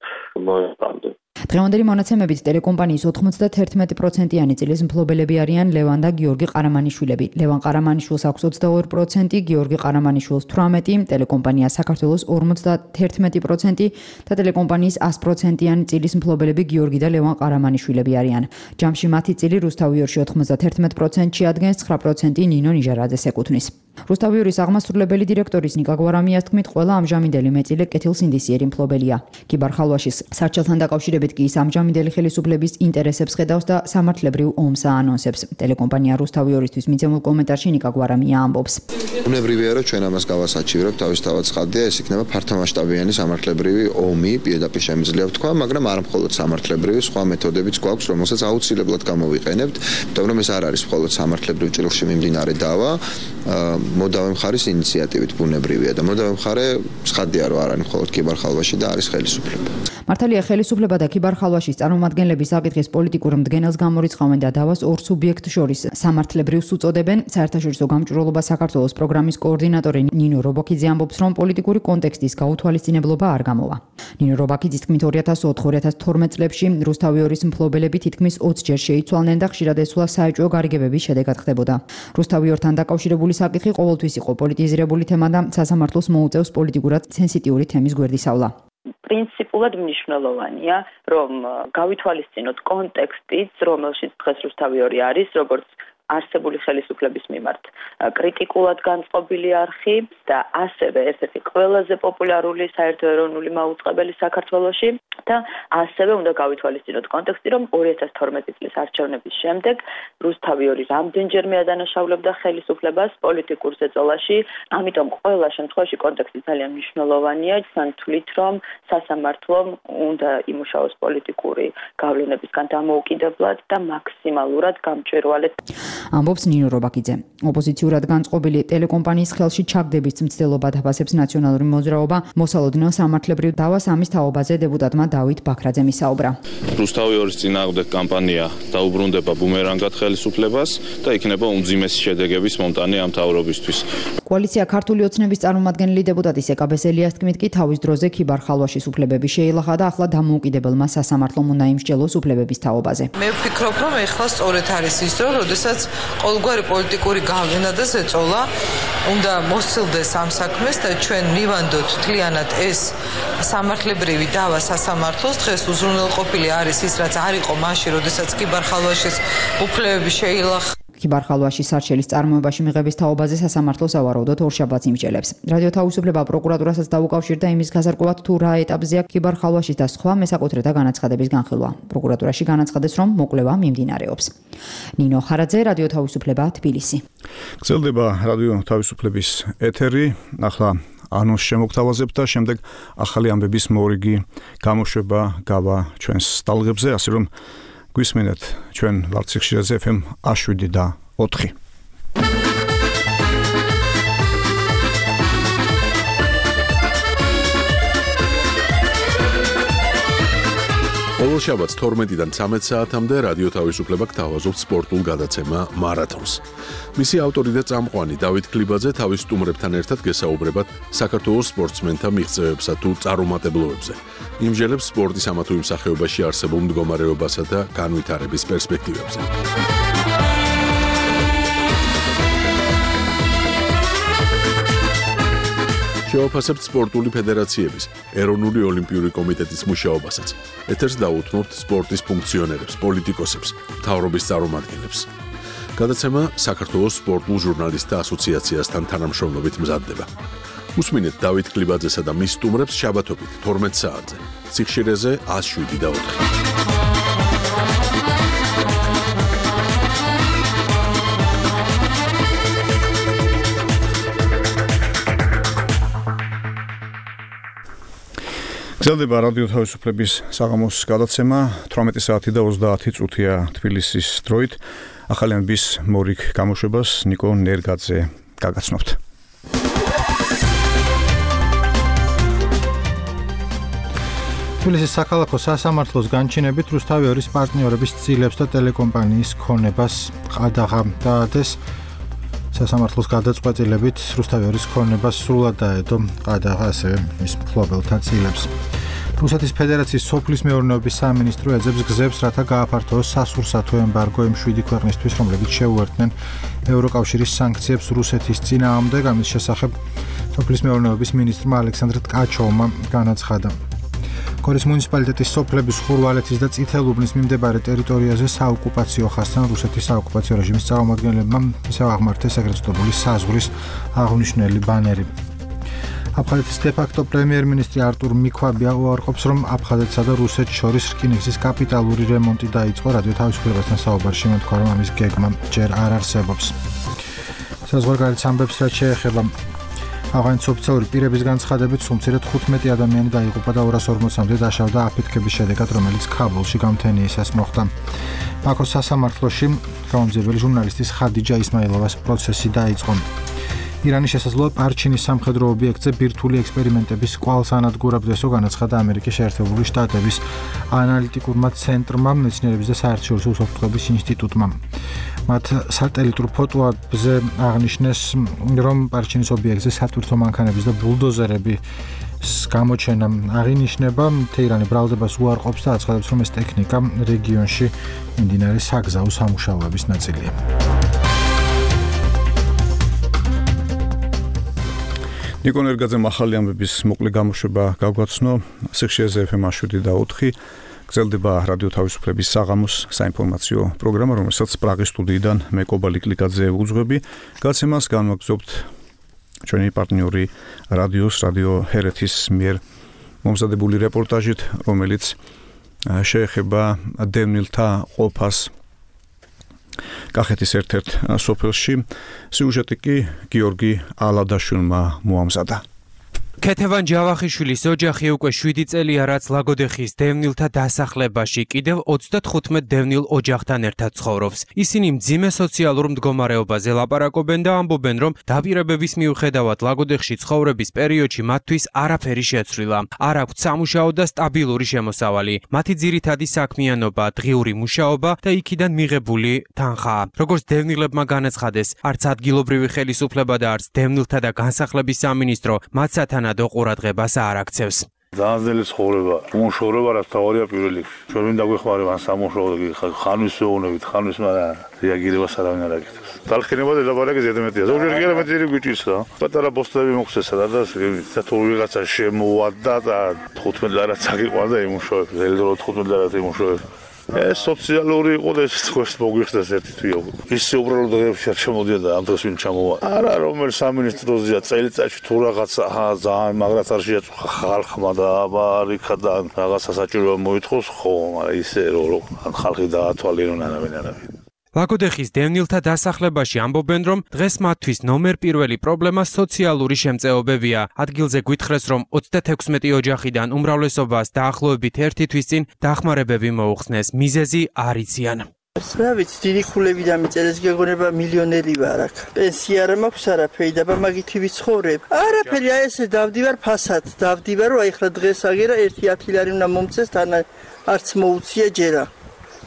Speaker 19: ნოემბრამდე.
Speaker 18: დღევანდელი მონაცემებით ტელეკომპანიის ოცდაათი პროცენტიანი წილის მფლობელები არიან ლევან და გიორგი ყარამანიშვილები. ლევან ყარამანიშვილს აქვს ოცდაორი პროცენტი, გიორგი ყარამანიშვილს თვრამეტი, ტელეკომპანია საქართველოს ორმოცდაერთმეტი პროცენტი და ტელეკომპანიის ას პროცენტიანი წილის მფლობელები გიორგი და ლევან ყარამანიშვილები არიან. ჯამში მათი წილი რუსთავიორში ოთხმოცდათერთმეტ პროცენტში ადგენს, ცხრა პროცენტი ნინო ნიჟარაძეს ეკუთვნის. რუსთავიორის აღმასრულებელი დირექტორის ნიკა გვარამიას თქმით, ყველა ამჟამინდელი მეწილე კეთილსინდისიერი მფლობელია. კიბარ ხალვაშის სარჩელთან დაკავშირებით კი ის ამჟამინდელი ხელისუფლების ინტერესებს ხედავს და სამართლებრივ ომს აანონსებს. ტელეკომპანია რუსთავიორისთვის მიცემულ კომენტარში ნიკა გვარამია ამბობს.
Speaker 5: უნებრივია, რომ ჩვენ ამას გავასაჩივრებთ, თავისთავად ცხადია, ეს იქნება ფართომასშტაბიანი სამართლებრივი ომი, პირდაპირ შემიძლია ვთქვა, მაგრამ არა მხოლოდ სამართლებრივი, სხვა მეთოდებიც გვაქვს, რომელსაც აუცილებლად გამოვიყენებთ, იმიტომ რომ ეს არ არის მხოლოდ სამართლებრივ ჭრილში მიმდინარე დავა, მოდავე მხარის ინიციატივით ბუნებრივია და მოდავე მხარე ცხადია, რომ არ არის მხოლოდ კიბარ ხალვაში და არის ხელისუფლება.
Speaker 18: მართალია ხელისუფლება და კიბარ ხალვაშის წარმომადგენლები საკითხის პოლიტიკურ მდგენელს გამორიცხავენ და დავას ორ სუბიექტ შორის სამართლებრივს უწოდებენ. საერთაშორისო გამჭვირვალობა საქართველოს პროგრამის კოორდინატორი ნინო რობაქიძე ამბობს, რომ პოლიტიკური კონტექსტის გაუთვალისწინებლობა არ გამოვა. ნინო რობაქიძის თქმით, ორი ათას ოთხ ორი ათას თორმეტ წლებში რუსთავიორის მფლობელები თითქმის ოცჯერ შეიცვალნენ და ხშირად ესულა საეჭვო გარიგებების შედეგად ხდებოდა. რუსთავიორთან დაკავშირებული საკითხი ყოველთვის იყო პოლიტიზირებული თემა და სასამართლოს მოუწევს პოლიტიკურად სენსიტიური თემის გვერდისავლა.
Speaker 20: პრინციპულად მნიშვნელოვანია, რომ გავითვალისწინოთ კონტექსტიც, რომელშიც დღეს რუსთავიორი არის, როგორც არსებული ხელისუფლების მიმართ კრიტიკულად განწყობილი არხი და ასევე ერთ-ერთი ყველაზე პოპულარული საერთოეროვნული მაუწყებელი საქართველოში და ასევე უნდა გავითვალისწინოთ კონტექსტი, რომ ორი ათას თორმეტი წლის არჩევნების შემდეგ რუსთავიორი რამდენჯერმე ადანაშაულებდა ხელისუფლებას პოლიტიკურ ზეწოლაში, ამიტომ ყველა შემთხვევაში კონტექსტი ძალიან მნიშვნელოვანია, თან თვლით, რომ სასამართლომ უნდა იმუშაოს პოლიტიკური გავლენებისგან დამოუკიდებლად და მაქსიმალურად გამჭვირვალედ.
Speaker 18: ამბობს ნინო რობაქიძე. ოპოზიციურად განწყობილი ტელეკომპანიის ხელში ჩაგდების მცდელობა დაფასებს ნაციონალური მოძრაობა. მოსალოდნელ სამართლებრივ დავას ამის თაობაზე დეპუტატმა დავით ბაქრაძემ ისაუბრა.
Speaker 21: რუსთავიორის წინააღმდეგ კამპანია დაუბრუნდება ბუმერანგად ხელისუფლებას და იქნება უმძიმესი შედეგების მომტანი ამ მთავრობისთვის.
Speaker 18: კოალიცია ქართული ოცნების წარმომადგენელი დეპუტატი სეკა ბესელიას თქმით, კი თავის დროზე კიბარ ხალვაშის უფლებები შეილახა და ახლა დამოუკიდებელმა სასამართლომ უნდა იმსჯელოს უფლებების თაობაზე.
Speaker 6: მე ვფიქრობ, რომ ეხლა სწორედ არის ის დრო, როდესაც ყოველგვარი პოლიტიკური გავლენა და ზეწოლა უნდა მოსცილდეს ამ საქმეს და ჩვენ მივანდოთ თლიანად ეს სამართლებრივი დავა სასამართლოს. დღეს უზრუნველყოფილი არის ის, რაც არ იყო მაშინ, როდესაც კიბარ ხალვაშის უფლებები შეილახა. კიბარ ხალვაშის სარჩელის წარმოებაში მიღების თაობაზე სასამართლო სავარაუდოდ ორშაბათს იმსჯელებს. რადიო თავისუფლება პროკურატურასაც დაუკავშირდა იმის გასარკვევად, თუ რა ეტაპზეა კიბარ ხალვაშის და სხვა მესაკუთრეთა განაცხადების განხილვა. პროკურატურაში განაცხადეს, რომ მოკვლევა მიმდინარეობს. ნინო ხარაძე, რადიო თავისუფლება, თბილისი.
Speaker 3: გრძელდება რადიო თავისუფლების ეთერი. ახლა ანონს შემოგთავაზებთ და შემდეგ ახალი ამბების მორიგი გამოშვება გავა ჩვენს სტალღებზე, ასე რომ გვისმენთ ჩვენ ვართ სიხშირეზე ეფ ემ შვიდ და ოთხი.
Speaker 1: ყოველ შაბათს თორმეტიდან ცამეტ საათამდე რადიო თავისუფლება გთავაზობთ სპორტულ გადაცემა მარათონს. მისი ავტორი და წამყვანი დავით ქლიბაძე თავის სტუმრებთან ერთად გესაუბრებათ საქართველოს სპორტსმენთა მიღწევებსა თუ წარუმატებლობებზე. იმსჯელებს სპორტის ამა თუ იმ სახეობაში არსებულ მდგომარეობასა და განვითარების პერსპექტივებზე. შევაფასებთ სპორტული ფედერაციების, ეროვნული ოლიმპიური კომიტეტის მუშაობასაც. ეთერს დაუთმობთ სპორტის ფუნქციონერებს, პოლიტიკოსებს, მთავრობის წარმომადგენლებს. გადაცემა საქართველოს სპორტულ ჟურნალისტთა ასოციაციასთან თანამშრომლობით მზადდება. უსმინეთ დავით ქლიბაძესა და მის სტუმრებს შაბათობით თორმეტ საათზე. სიხშირეზე ას შვიდ და ოთხი.
Speaker 3: გრძელდება რადიო თავისუფლების საღამოს გადაცემა თვრამეტი საათი და ოცდაათი წუთია თბილისის დროით. ახალიანების მორიგ გამოშვებას ნიკო ნერგაძე გაგაცნობთ.
Speaker 2: თბილისის საქალაქო სასამართლოს განჩინებით რუსთავი ორის პარტნიორების ცილებს და ტელეკომპანიის ქონებას ყადაღა დაადეს. სასამართლოს გადაწყვეტილებით რუსთავი ორის ქონებას სრულად დაედო ყადაღა ასევე მის მფლობელთა ცილებს. რუსეთის ფედერაციის სოფლის მეურნეობის სამინისტრო ეძებს გზებს, რათა გააფართოოს სასურსათო ემბარგო იმ შვიდი ქვეყნისთვის, რომლებიც შეუერთდნენ ევროკავშირის სანქციებს რუსეთის წინააღმდეგ. ამის შესახებ სოფლის მეურნეობის მინისტრმა ალექსანდრ ტკაჩოვმა განაცხადა. გორის მუნიციპალიტეტის სოფლების ხურვალეთის და წითელუბნის მიმდებარე ტერიტორიაზე საოკუპაციო ხასთან რუსეთის საოკუპაციო რეჟიმის წარმომადგენლებმა ისევ აღმართეს ეგრეთ წოდებული საზღვრის აღნიშნული ბანერი. აფხაზეთის დე-ფაქტო პრემიერ-მინისტრი არტურ მიქვაბია უარყოფს, რომ აფხაზეთსა და რუსეთს შორის რკინიგზის კაპიტალური რემონტი დაიწყო. რადიო თავისუფლებასთან საუბარში მეთქვა, რომ ამის გეგმა ჯერ არ არსებობს. საზღვარგარეთ ამბებს რაც შეეხება ავღანეთის ოფიციალური პირების განცხადებით, სულ თხუთმეტი ადამიანი დაიღუპა და ორას ორმოცამდე დაშავდა აფეთქების შედეგად, რომელიც ქაბულში გამთენიისას მოხდა. ბაქოს სასამართლოში გამომძიებელი ჟურნალისტის ხადიჯა ისმაილოვას პროცესი დაიწყო. ირანის შესაძლოა პარჩინის სამხედრო ობიექტზე ბირთვული ექსპერიმენტების კვალს ანადგურებდესო, განაცხადა ამერიკის შეერთებული შტატების ანალიტიკურმა ცენტრმა, მეცნიერების და საერთაშორისო უსაფრთხოების ინსტიტუტმა. მათ სატელიტურ ფოტოებზე აღნიშნეს, რომ პარჩინის ობიექტზე სატვირთო მანქანების და ბულდოზერების გამოჩენა აღინიშნება. თეირანი ბრალდებას უარყოფს და აცხადებს, რომ ეს ტექნიკა რეგიონში მიმდინარე საგზაო სამუშაოების ნაწილია. ნიკო ნერგაძემ ახალი ამბების მოკლე გამოშვება გაგვაცნო. სიხშირეზე ეფ ემ შვიდი და ოთხი გრძელდება რადიო თავისუფლების საღამოს საინფორმაციო პროგრამა, რომელსაც პრაღის სტუდიიდან მე კობალი კლიკაძე უძღვები. გაცემას განვაგრძობთ ჩვენი პარტნიორი რადიოს რადიო ჰერეთის მიერ მომზადებული რეპორტაჟით, რომელიც შეეხება დევნილთა ყოფას კახეთის ერთ-ერთ სოფელში. სიუჟეტი კი გიორგი ალადაშვილმა მოამზადა.
Speaker 22: ქეთევან ჯავახიშვილის ოჯახი უკვე შვიდი წელია, რაც ლაგოდეხის დევნილთა დასახლებაში კიდევ ოცდათხუთმეტ დევნილ ოჯახთან ერთად ცხოვრობს. ისინი მძიმე სოციალურ მდგომარეობაზე ლაპარაკობენ და ამბობენ, რომ დაპირებების მიუხედავად ლაგოდეხში ცხოვრების პერიოდში მათთვის არაფერი შეცვლილა. არ აქვთ სამუშაო და სტაბილური შემოსავალი. მათი ძირითადი საქმიანობა დღიური მუშაობა და იქიდან მიღებული თანხაა. როგორც დევნილებმა განაცხადეს, არც ადგილობრივი ხელისუფლება და არც დევნილთა და განსახლების სამინისტრო მათ სათანადო ყურადღებას არ აქცევს.
Speaker 23: ძალიან ძნელი ცხოვრება, უმუშავრობა რაც თავარია პირველ რიგში. ჩვენ ვინ დაგვეხმარება ამ სამუშაოდ ხანვის ვეუბნებით, ხანვის მაგრამ რეაგირებას არავინ არ აკეთებს. დალხინება დედაბარაკი ზედმეტია. ზოგჯერ კი არამედ ძირი გვიჭირს რა. პატარა პოსტები მოხსესა და საერთოდ ვიღაცა შემოვადა და თხუთმეტ ლარად წაგიყვანდა იმუშავებს. ელდრო თხუთმეტ ლარად იმუშავებს. ეს სოციალური იყო და ეს თქვენს მოგვიხსნეს ერთი თვიო. ისე უბრალოდ დღეებში არ ჩამოდიოდა ამ დროს ვინ ჩამოვა. არა რომელ სამინისტროზეა წელიწადში თუ რაღაცა ძალიან მაგრად არ შეაწუხა ხალხმა და აბარიქა და რაღაცა საჭიროა მოითხოვს ხო, მაგრამ ისე რომ ან ხალხი დაათვალიერონ არავინ არავინ.
Speaker 22: ლაგოდეხის დევნილთა დასახლებაში ამბობენ, რომ დღეს მათთვის ნომერ პირველი პრობლემა სოციალური შემწეობებია. ადგილზე გვითხრეს, რომ ოცდათექვსმეტი ოჯახიდან უმრავლესობას დაახლოებით ერთი თვის წინ დახმარებები მოუხსნეს. მიზეზი არ იციან.
Speaker 24: რა ვიცი, დიდი ხულები დამიწერეს, გეგონება მილიონერი ვარ აქ. პენსია არ მაქვს არაფერი და მაგითი ვიცხოვრებ. არაფერი, აი ესე დავდივარ ფასად, დავდივარ, რომ აი ხლა დღეს აგერა ერთი ათი ლარი უნდა მომწეს, თან არც მოუწია ჯერა.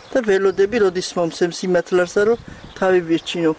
Speaker 24: და ველოდები როდის მომცემს იმათლარსა რომ თავი ვირჩინო.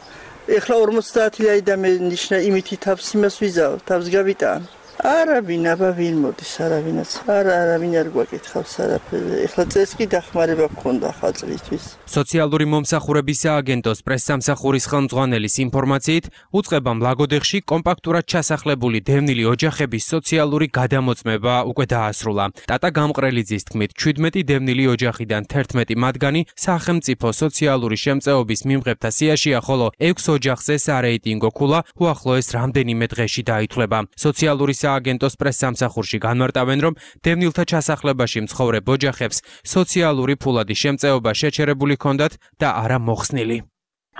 Speaker 24: ეხლა ორმოცდაათი ლარი და მე ნიშნა იმითი თავს იმას ვიზავ, თავს გავიტან. არავინ აბა ვინ მოდის, არავინაც. არა, არავინ არ გვაკითხავს არაფერი. ეხლა წეს კი დახმარება გქონდა ხალხისთვის.
Speaker 22: სოციალური მომსახურების სააგენტოს პრესსამსახურის ხელმძღვანელის ინფორმაციით, უწყებამ ლაგოდეხში კომპაქტურად ჩასახლებული დევნილი ოჯახების სოციალური გადამოწმება უკვე დაასრულა. ტატა გამყრელიძის თქმით, შვიდმეტი დევნილი ოჯახიდან თერთმეტი მათგანი სახელმწიფო სოციალური შემწეობის მიმღებთა სიაშია, ხოლო ექვს ოჯახზე სარეიტინგო ქულა უახლოეს რამდენიმე დღეში დაითვლება. სოციალური სააგენტოს პრესსამსახურში განმარტავენ, რომ დევნილთა ჩასახლებაში მცხოვრებ ოჯახებს სოციალური ფულადი შემწეობა შეჩერებული ჰქონდათ და არა მოხსნილი.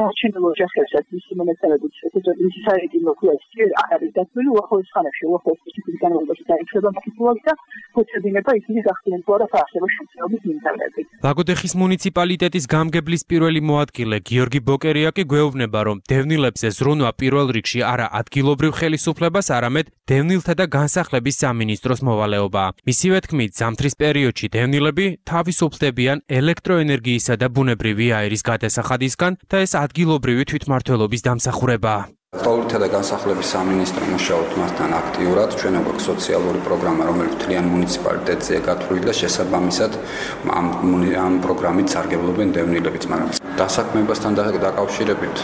Speaker 15: არჩევნილ ოჯახებსაც მისი მონაცემებით ესეთი მისი საიდუმლო ქვია არ არის დაცული უახლოეს ხანებში უახლოეს წლების განმავლობაში დაიწყება მკვლელობა და ფუძებინება ისინი გახდნენ თუ არა საარსებო შემთხვევების მიმდევრები.
Speaker 22: ლაგოდეხის მუნიციპალიტეტის გამგებლის პირველი მოადგილე გიორგი ბოკერია კი გვეუბნება, რომ დევნილებზე ზრუნვა პირველ რიგში არა ადგილობრივ ხელისუფლებას, არამედ დევნილთა და განსახლების სამინისტროს მოვალეობაა. მისივე თქმით, ზამთრის პერიოდში დევნილები თავისუფლდებიან ელექტროენერგიისა და ბუნებრივი აირის გადასახადისგან და ეს ადგილობრივი თვითმმართველობის დამსახურებაა.
Speaker 7: Პოლიტიკა და განსახლების სამინისტრო მუშაობთ მასთან აქტიურად. ჩვენ გვაქვს სოციალური პროგრამა, რომელიც მთლიან მუნიციპალიტეტზეა გათვლილი და შესაბამისად ამ ამ პროგრამით სარგებლობენ დევნილებიც, მაგრამ დასაქმებასთან დაკავშირებით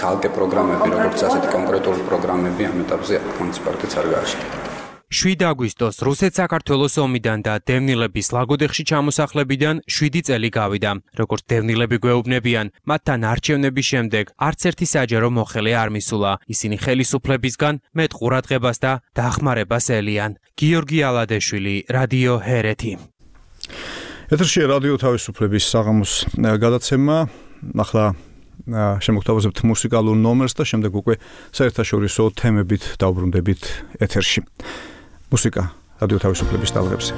Speaker 7: ცალკე პროგრამები, როგორც ასეთი კონკრეტული პროგრამები ამ ეტაპზე მუნიციპალიტეტს არ გააჩნია.
Speaker 22: შვიდი აგვისტოს რუსეთ-საქართველოს ომიდან და დევნილების ლაგოდეხში ჩამოსახლებიდან შვიდი წელი გავიდა. როგორც დევნილები გვეუბნებიან, მათთან არჩევნების შემდეგ არც ერთი საჯარო მოხელე არ მისულა. ისინი ხელისუფლებისგან მეტ ყურადღებას და დახმარებას ელიან. გიორგი ალადეშვილი, რადიო ჰერეთი.
Speaker 3: ეთერში რადიო თავისუფლების საღამოს გადაცემა. ახლა შემოგთავაზებთ მუსიკალურ ნომერს და შემდეგ უკვე საერთაშორისო თემებით დავბრუნდებით ეთერში. მუსიკა რადიო თავისუფლების ტალღებზე.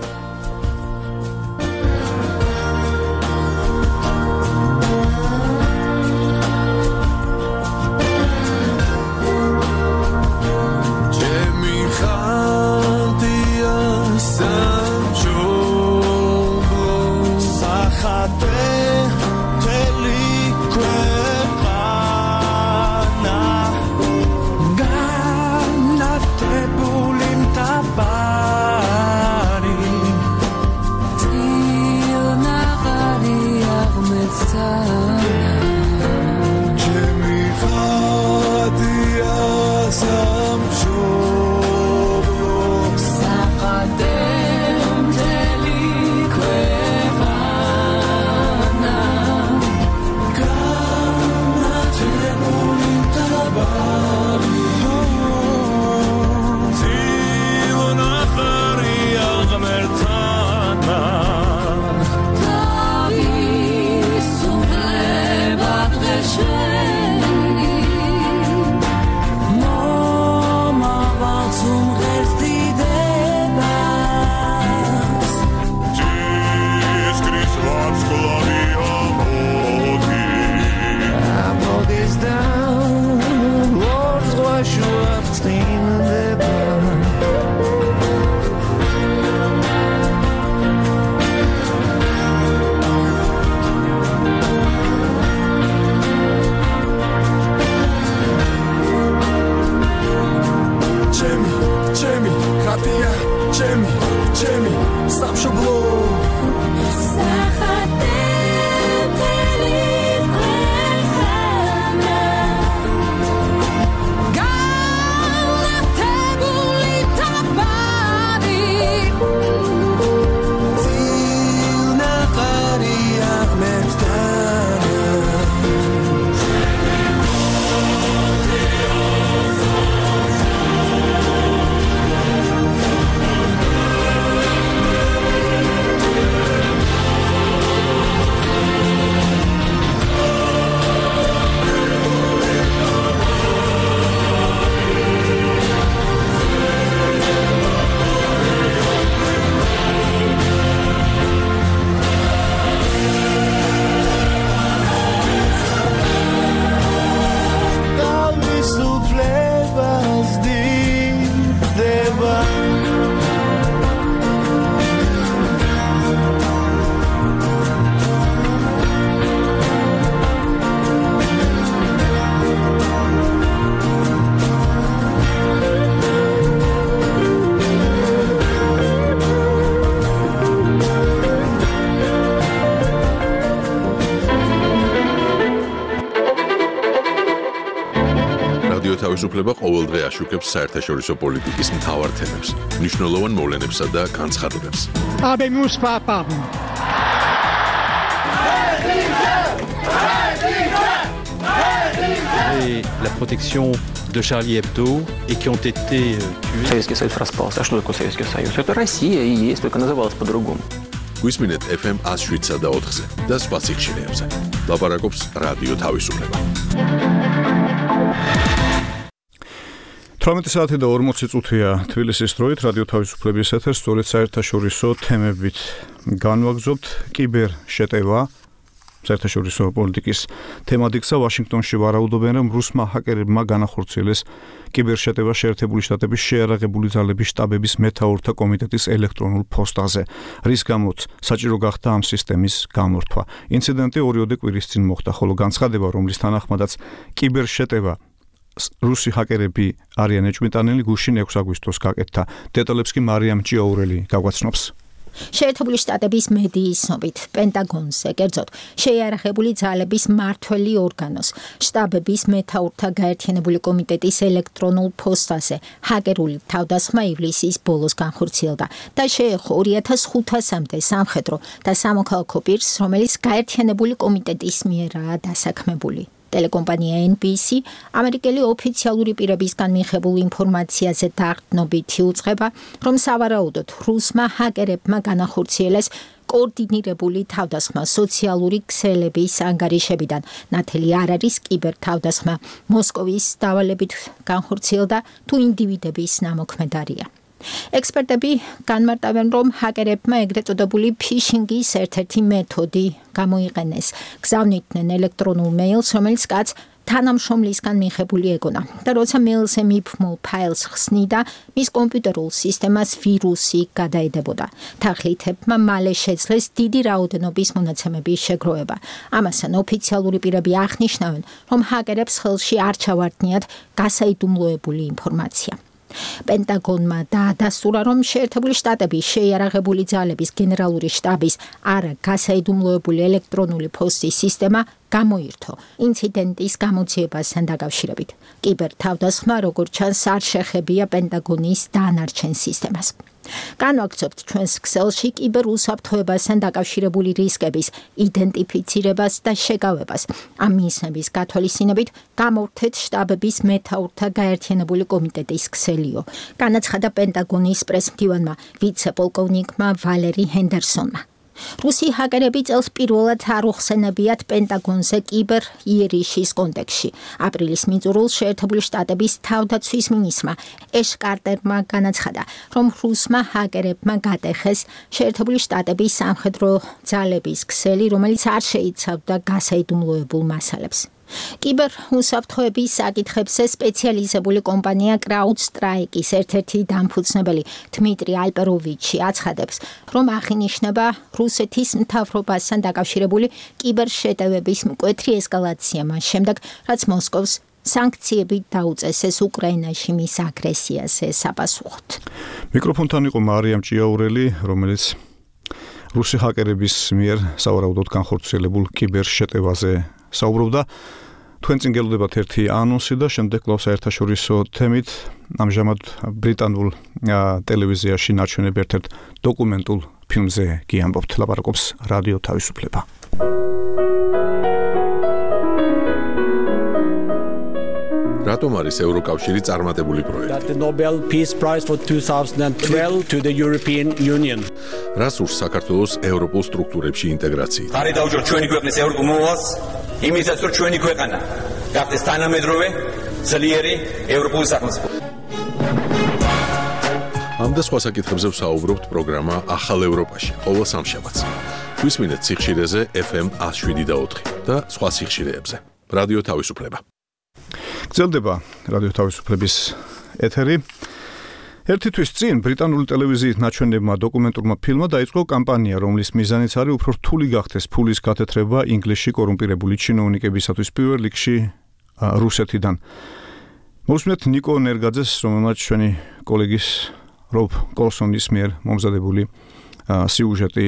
Speaker 1: თავისუფლება ყოველდღე აშუქებს საერთაშორისო პოლიტიკის მთავარ თემებს, მნიშვნელოვან მოვლენებსა და განცხადებებს.
Speaker 15: Habemus papam.
Speaker 9: Et la protection de Charlie Hebdo et qui ont été tués.
Speaker 10: Советский Союз распался. А что такое Советский Союз? Это Россия и есть, только называлась по-другому.
Speaker 1: გვისმინეთ ეფ ემ one oh seven და ოთხზე და სხვა სიხშირეებზე. ლაპარაკობს რადიო თავისუფლება.
Speaker 3: თვრამეტი საათი და ორმოცი წუთია თბილისის დროით რადიო თავისუფლების ეთერს სწორედ საერთაშორისო თემებით განვაგრძობთ კიბერ შეტევა საერთაშორისო პოლიტიკის თემატიკსა ვაშინგტონში ვარაუდობენ რომ რუსმა ჰაკერებმა განახორციელეს კიბერშეტევა შეერთებული შტატების შეიარაღებული ძალების შტაბების მეთაურთა კომიტეტის ელექტრონულ ფოსტაზე რის გამოც საჭირო გახდა ამ სისტემის გამორთვა ინციდენტი ორიოდე კვირის წინ მოხდა ხოლო განცხადება რომლის თანახმადაც კიბერშეტევა რუსი ჰაკერები არიან ეჭვმიტანილი გუშინ ექვსი აგვისტოს გაკეთდა დეტალებს კი მარიამ ჭიაურელი გაგვაცნობს
Speaker 8: შეერთებული შტატების მედიის ცნობით პენტაგონზე კერძოდ შეიარაღებული ძალების მმართველი ორგანოს შტაბების მეთაურთა გაერთიანებული კომიტეტის ელექტრონულ ფოსტაზე ჰაკერული თავდასხმა ივლისის ბოლოს განხორციელდა და შეეხო ორი ათას ხუთასამდე სამხედრო და სამოქალაქო პირს რომელიც გაერთიანებული კომიტეტის მიერაა დასაქმებული ტელეკომპანია ენ ბი სი ამერიკელი ოფიციალური პირებისგან მიღებულ ინფორმაციაზე დაყრდნობითი უწყება, რომ სავარაუდოდ რუსმა ჰაკერებმა განახორციელეს კოორდინირებული თავდასხმა სოციალური ქსელების ანგარიშებიდან. ნათელი არ არის კიბერთავდასხმა მოსკოვის დავალებით განხორციელდა თუ ინდივიდების ნამოქმედარია. ექსპერტები განმარტავენ, რომ ჰაკერებმა ეგრეთ წოდებული ფიშინგის ერთ-ერთი მეთოდი გამოიყენეს. გზავნიდნენ ელექტრონულ მეილს, რომელიც კაცს თანამშრომლისგან მიღებული ეგონა და როცა მეილზე მიფრმულ ფაილს ხსნიდა, მის კომპიუტერულ სისტემას ვირუსი გადაედებოდა. თანხლითებმა მალე შეძლეს დიდი რაოდენობის მონაცემების შეგროვება. ამასთან ოფიციალური პირები აღნიშნავენ, რომ ჰაკერებს ხელში არ ჩავარდნიათ გასაიდუმლოებული ინფორმაცია. პენტაგონმა დაადასტურა, რომ შეერთებული შტატების შეიარაღებული ძალების გენერალური შტაბის არა გასაიდუმლოებული ელექტრონული ფოსტის სისტემა გამოირთო ინციდენტის გამოძიებასთან დაკავშირებით. კიბერთავდასხმა, როგორც ჩანს, არ შეხებია პენტაგონის დანარჩენ სისტემას. განვაგრძობთ ჩვენს ქსელში კიბერუსაფრთხოებასთან დაკავშირებული რისკების იდენტიფიცირებას და შეგავებას. ამ მიზნების გათვალისწინებით გამოვთეთ შტაბების მეთაურთა გაერთიანებული კომიტეტის ქსელიო. განაცხადა პენტაგონის პრესმდივანმა ვიცე-პოლკოვნიკმა ვალერი ჰენდერსონმა. რუსი ჰაკერები წელს პირველად არ უხსენებიათ პენტაგონზე კიბერ იერიშის კონტექსში. აპრილის მიწურულს შეერთებული შტატების თავდაცვის მინისტრმა ეშ კარტერმა განაცხადა, რომ რუსმა ჰაკერებმა გატეხეს შეერთებული შტატების სამხედრო ძალების ქსელი, რომელიც არ შეიცავდა გასაიდუმლოებულ მასალებს. კიბერ უსაფრთხოების საკითხებზე სპეციალიზებული კომპანია CrowdStrike-ის ერთ-ერთი დამფუძნებელი დმიტრი ალპეროვიჩი აცხადებს, რომ აღინიშნება რუსეთის მთავრობასთან დაკავშირებული კიბერ შეტევების მკვეთრი ესკალაცია მას შემდეგ, რაც მოსკოვს სანქციები დაუწესეს უკრაინაში მის აგრესიაზე საპასუხოდ.
Speaker 3: მიკროფონთან იყო მარიამ ჭიაურელი, რომელიც რუსი ჰაკერების მიერ სავარაუდოდ განხორციელებულ კიბერ შეტევაზე საუბრობდა. თქვენ წინ გელოდებათ ერთი ანონსი და შემდეგ კვლავ საერთაშორისო თემით ამჟამად ბრიტანულ ტელევიზიაში ნაჩვენებ ერთ-ერთ დოკუმენტურ ფილმზე გიამბობთ. ლაპარაკობს რადიო თავისუფლება.
Speaker 1: რატომ არის ევროკავშირი წარმატებული პროექტი?
Speaker 10: The Nobel Peace Prize for twenty twelve to the European Union.
Speaker 1: რას ურს საქართველოს ევროპულ სტრუქტურებში ინტეგრაცია?
Speaker 11: ხარი დაუჯეროთ ჩვენი ქვეყნის ევროპულ მოვალს, იმისაც რომ ჩვენი ქვეყანა გახდეს თანამედროვე, ძლიერი ევროპული სახელმწიფო.
Speaker 1: ამ და სხვა საკითხებზე ვსაუბრობთ პროგრამა ახალ ევროპაში, ყოველ სამშაბათს. გვისმინეთ სიხშირეზე ეფ ემ one oh seven და ოთხი და სხვა სიხშირეებზე. რადიო თავისუფლება.
Speaker 3: გრძელდება რადიო თავისუფლების ეთერი. ერთი თვის წინ ბრიტანული ტელევიზიით ნაჩვენებმა დოკუმენტურმა ფილმმა დაიწყო კამპანია, რომლის მიზანიც არის უფრო რთული გახდეს ფულის გათეთრება ინგლისში კორუმპირებული ჩინოვნიკებისათვის პირველ რიგში რუსეთიდან. მოვსმინეთ ნიკო ნერგაძეს, რომელმაც ჩვენი კოლეგის რობ კოლსონის მიერ მომზადებული სიუჟეტი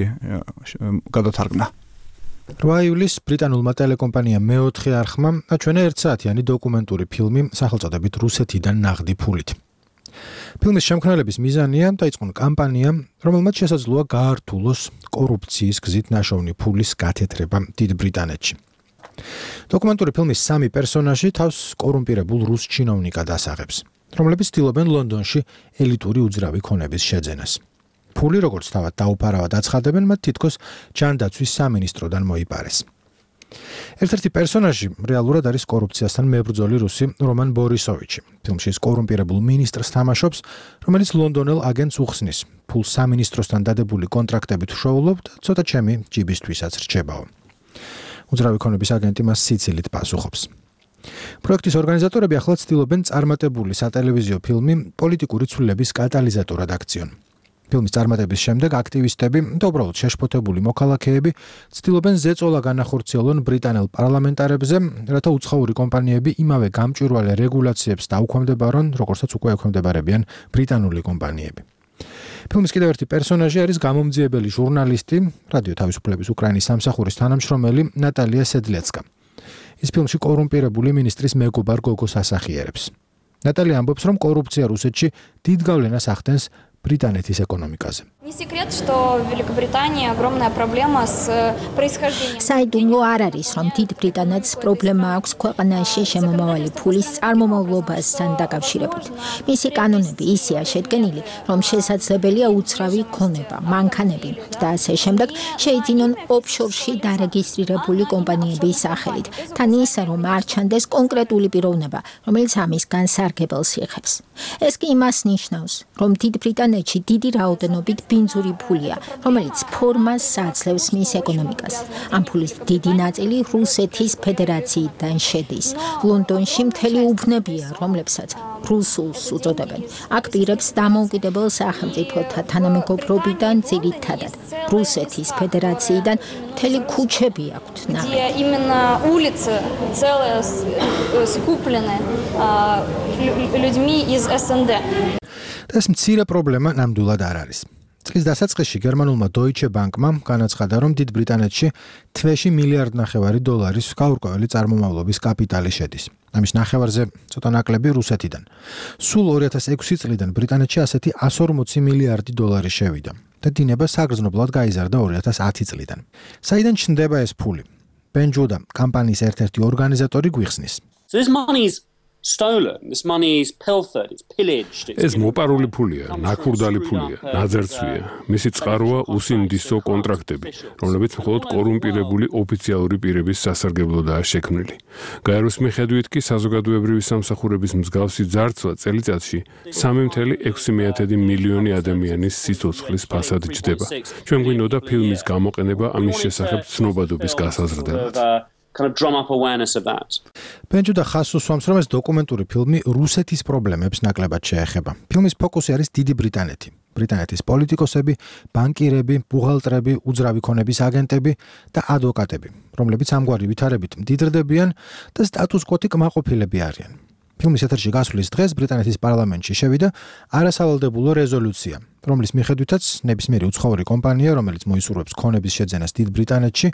Speaker 3: გადათარგმნა.
Speaker 2: რვა ივლისს ბრიტანულმა ტელეკომპანიამ მეოთხე არხმა აჩვენა ერთსაათიანი დოკუმენტური ფილმი სახელწოდებით რუსეთიდან ნაღდი ფულით. ფილმის შემქმნელების მიზანია დაიწყონ კამპანია, რომელმაც შესაძლოა გაართულოს კორუფციის გზით ნაშოვნი ფულის გათეთრება დიდ ბრიტანეთში. დოკუმენტური ფილმის სამი პერსონაჟი თავს კორუმპირებულ რუს ჩინოვნიკად ასაღებს, რომლებიც ცდილობენ ლონდონში ელიტური უძრავი ქონების შეძენას. ფული, როგორც თავად დაუფარავად აცხადებენ, მათ თითქოს ჯანდაცვის სამინისტროდან მოიპარეს. ერთ-ერთი პერსონაჟი რეალურად არის კორუფციასთან მებრძოლი რუსი რომან ბორისოვიჩი. ფილმში ის კორუმპირებულ მინისტრს თამაშობს, რომელიც ლონდონელ აგენტს უხსნის. ფულს სამინისტროსთან დადებული კონტრაქტებით ვშოულობ და ცოტა ჩემი ჯიბისთვისაც რჩებაო. უძრავი ქონების აგენტი მას სიცილით პასუხობს. პროექტის ორგანიზატორები ახლა ცდილობენ წარმატებული სატელევიზიო ფილმი პოლიტიკური ცვლილების კატალიზატორად აქციონ. ფილმის წარმატების შემდეგ აქტივისტები და უბრალოდ შეშფოთებული მოქალაქეები ცდილობენ ზეწოლა განახორციელონ ბრიტანელ პარლამენტარებზე, რათა უცხოური კომპანიები იმავე გამჭვირვალე რეგულაციებს დაუქვემდებარონ, როგორცაც უკვე ექვემდებარებიან ბრიტანული კომპანიები. ფილმის კიდევ ერთი პერსონაჟი არის გამომძიებელი ჟურნალისტი, რადიო თავისუფლების უკრაინის სამსახურის თანამშრომელი ნატალია სედლეცკა. ის ფილმში კორუმპირებული მინისტრის მეგობარ გოგოს ასახიერებს. ნატალია ამბობს, რომ კორუფცია რუსეთში დიდ გავლენას ახდენს ბრიტანეთის ეკონომიკაზე.
Speaker 4: Не секрет, что в Великобритании огромная проблема с происхождением.
Speaker 8: საიდუმლო არ არის, რომ დიდ ბრიტანეთს პრობლემა აქვს ქვეყანაში შემომავალი ფულის წარმომავლობასთან დაკავშირებით. მისი კანონები ისეა შედგენილი, რომ შესაძლებელია უცრავი ქონება, მანქანები და ასე შემდეგ შეიძინონ ოფშორში დარეგისტრირებული კომპანიების სახელით, თან ისე, რომ არ ჩანდეს კონკრეტული პიროვნება, რომელიც ამის განსარგებელს იღებს. ეს კი იმას ნიშნავს, რომ დიდ ბრიტანეთში დიდი რაოდენობით ბინძური ფულია, რომელიც ფორმას აძლევს მის ეკონომიკას. ამ ფულის დიდი ნაწილი რუსეთის ფედერაციიდან შედის. ლონდონში მთელი უბნებია, რომლებსაც რუსულს უწოდებენ. აქ პირებს დამოუკიდებელ სახელმწიფოთა თანამეგობრობიდან ძირითადად რუსეთის ფედერაციიდან მთელი ქუჩები აქვთ.
Speaker 4: Где именно улицы целые скуплены людьми из эс эн дэ.
Speaker 2: ეს მცირე პრობლემა ნამდვილად არ არის. წლის დასაწყისში გერმანულმა Deutsche Bank-მა განაცხადა, რომ დიდ ბრიტანეთში თვეში მილიარდ ნახევარი დოლარის გაურკვეველი წარმომავლობის კაპიტალი შედის. ამის ნახევარზე ცოტა ნაკლები რუსეთიდან. სულ ორი ათას ექვსი წლიდან ბრიტანეთში ასეთი εκατს ორმოცი მილიარდი დოლარი შევიდა და დინება საგრძნობლად გაიზარდა ორი ათას ათი წლიდან. საიდან ჩნდება ეს ფული? Ben Juda, კამპანიის ერთ-ერთი ორგანიზატორი გვიხსნის.
Speaker 10: So this money is stolen. This money is pilfered, it's pillaged.
Speaker 12: ეს მოპარული ფულია, ნაკურდალი ფულია, ნაძერცვია. მისი წყაროა უსინდისო კონტრაქტები, რომლებიც მხოლოდ კორუმპირებული ოფიციალური პირების სასარგებლოდაა შექმნილი. გაეროს მიხედვით კი საზოგადოებრივი სამსახურების მსგავსი ძარცვა წელიწადში სამი წელი ექვსი მილიონი ადამიანის სიცოცხლის ფასად ჯდება. ჩვენ გვინდოდა ფილმის გამოყენება ამის შესახებ ცნობადობის გასაზრდელად.
Speaker 10: kind of drum up awareness of that.
Speaker 2: Ben-Juda ხაზს უსვამს, რომ ეს დოკუმენტური ფილმი რუსეთის პრობლემებს ნაკლებად შეეხება. ფილმის ფოკუსი არის დიდი ბრიტანეთი. ბრიტანეთის პოლიტიკოსები, ბანკირები, ბუღალტრები, უძრავი ქონების აგენტები და ადვოკატები, რომლებიც ამგვარი ვითარებით მდიდრდებიან და სტატუს-კვო-ი კმაყოფილები არიან. ფილმის ეთერში გასვლის დღეს ბრიტანეთის პარლამენტში შევიდა არასავალდებულო რეზოლუცია, რომლის მიხედვითაც ნებისმიერი უცხოური კომპანია, რომელიც მოისურვებს ქონების შეძენას დიდ ბრიტანეთში,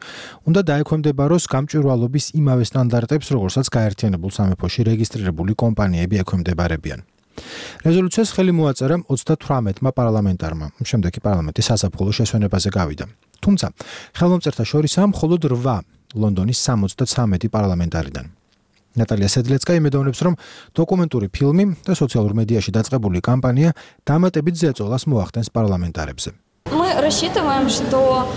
Speaker 2: უნდა დაექვემდებაროს გამჭვირვალობის იმავე სტანდარტებს, როგორცაც გაერთიანებულ სამეფოში რეგისტრირებული კომპანიები ექვემდებარებიან. რეზოლუციას ხელი მოაწერა ოცდათვრამეტმა პარლამენტარმა, შემდეგ კი პარლამენტი საზაფხულო შესვენებაზე გავიდა. თუმცა, ხელმომწერთა შორისაა მხოლოდ რვა ლონდონის სამოცდათვრამეტი პარლამენტარიდან. ნატალია სედლეცკა იმედოვნებს, რომ დოკუმენტური ფილმი და სოციალურ მედიაში დაწყებული კამპანია დამატებით ზეწოლას მოახდენს პარლამენტარებზე.
Speaker 4: Мы рассчитываем, что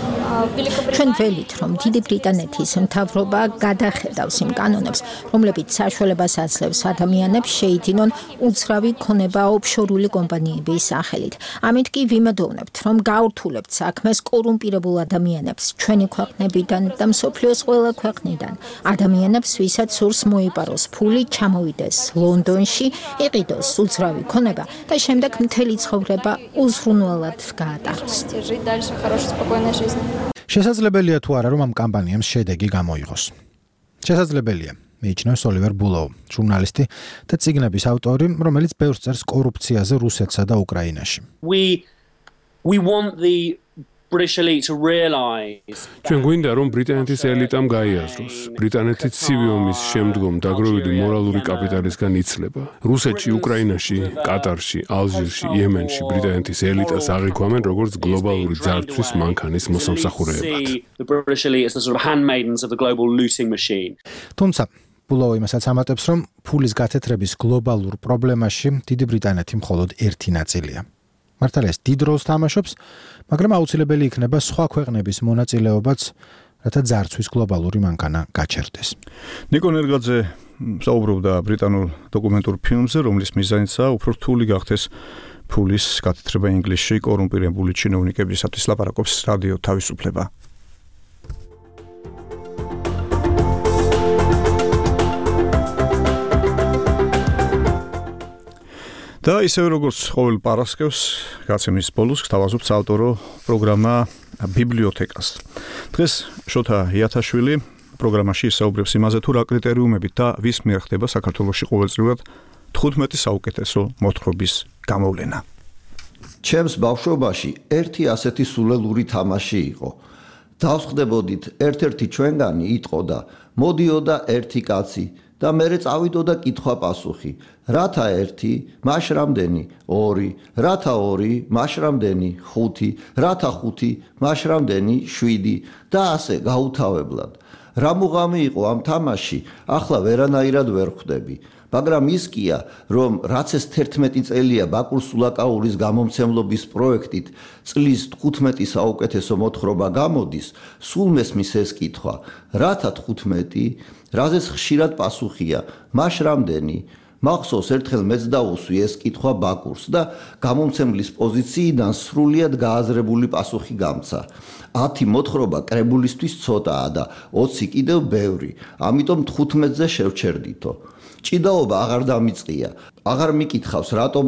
Speaker 8: ჩვენ ველით, რომ დიდი ბრიტანეთის მთავრობა გადახედავს იმ კანონებს, რომლებიც საშუალებას აძლევს ადამიანებს შეიძინონ უცრავი ქონება ოფშორული კომპანიების სახელით. ამით კი ვიმედოვნებთ, რომ გაურთულებთ საქმეს კორუმპირებულ ადამიანებს ჩვენი ქვეყნებიდან და მსოფლიოს ყველა ქვეყნიდან. ადამიანებს, ვისაც სურს მოიპაროს ფული, ჩამოვიდეს ლონდონში, იყიდოს უცრავი ქონება და შემდეგ მთელი ცხოვრება უზრუნველად გაატაროს.
Speaker 4: жить дальше хорошей спокойной жизнью.
Speaker 2: შესაძლებელია თუ არა, რომ ამ კამპანიამ შედეგი გამოიღოს. შესაძლებელია, მიიჩნევს ოლივერ ბულოუ, ჟურნალისტი და წიგნების ავტორი, რომელიც ბევრს წერს კორუფციაზე რუსეთსა და უკრაინაში.
Speaker 10: We we want the British elite to realize
Speaker 12: ჩვენ გვინდა რომ ბრიტანეთის ელიტამ გაიაზროს ბრიტანეთი ცივი ომის შემდგომ დაგროვილი მორალური კაპიტალისგან იცლება. რუსეთში, უკრაინაში, კატარში, ალჟირში, იემენში ბრიტანეთის ელიტას აღიქვამენ როგორც გლობალური ძარცვის მანქანის მოსამსახურეებად.
Speaker 10: the British elite as the sort of handmaidens of the global looting machine.
Speaker 2: თუმცა ბულოუ იმასაც ამატებს, რომ ფულის გათეთრების გლობალურ პრობლემაში დიდი ბრიტანეთი მხოლოდ ერთი ნაწილია. მართალია ეს დიდ როლს თამაშობს, მაგრამ აუცილებელი იქნება სხვა ქვეყნების მონაწილეობაც, რათა ძარცვის გლობალური მანქანა გაჩერდეს.
Speaker 3: ნიკო ნერგაძე საუბრობდა ბრიტანულ დოკუმენტურ ფილმზე, რომლის მიზანიცაა უფრო რთული გახდეს ფულის გათეთრება ინგლისში კორუმპირებული ჩინოვნიკებისათვის. ლაპარაკობს რადიო თავისუფლება. და ისევე როგორც ყოველ პარასკევს, გაცემის ბოლოს გთავაზობთ საავტორო პროგრამა ბიბლიოთეკას. დღეს შოთა იათაშვილი პროგრამაში ისაუბრებს იმაზე, თუ რა კრიტერიუმებით და ვის მიერ ხდება საქართველოში ყოველწლიურად თხუთმეტი საუკეთესო მოთხრობის გამოვლენა.
Speaker 13: ჩემს ბავშვობაში ერთი ასეთი სულელური თამაში იყო. დავსხდებოდით ერთ-ერთი ჩვენგანი იტყოდა, მოდიოდა ერთი კაცი და მერე წავიდოდა კითხვა-პასუხი. რათა ერთი, მაშ რამდენი? ორი, რათა ორი, მაშ რამდენი? ხუთი, რათა ხუთი, მაშ რამდენი? შვიდი და ასე გაუთავებლად. რა მუღამი იყო ამ თამაში, ახლა ვერანაირად ვერ ხვდები. მაგრამ ის კია, რომ რაც ეს თერთმეტი წელია ბაკურ სულაკაურის გამომცემლობის პროექტით წლის თხუთმეტი საუკეთესო მოთხრობა გამოდის, სულ მესმის ეს კითხვა. რათა თხუთმეტი? რაზეც ხშირად პასუხია, მაშ რამდენი? მახსოვს ერთხელ მეც დაუსვი ეს კითხვა ბაკურს და გამომცემლის პოზიციიდან სრულიად გააზრებული პასუხი გამცა. ათი მოთხრობა კრებულისთვის ცოტაა და ოცი კიდევ ბევრი, ამიტომ თხუთმეტზე შევჩერდითო. ჭიდაობა აღარ დამიწყია, აღარ მიკითხავს რატომ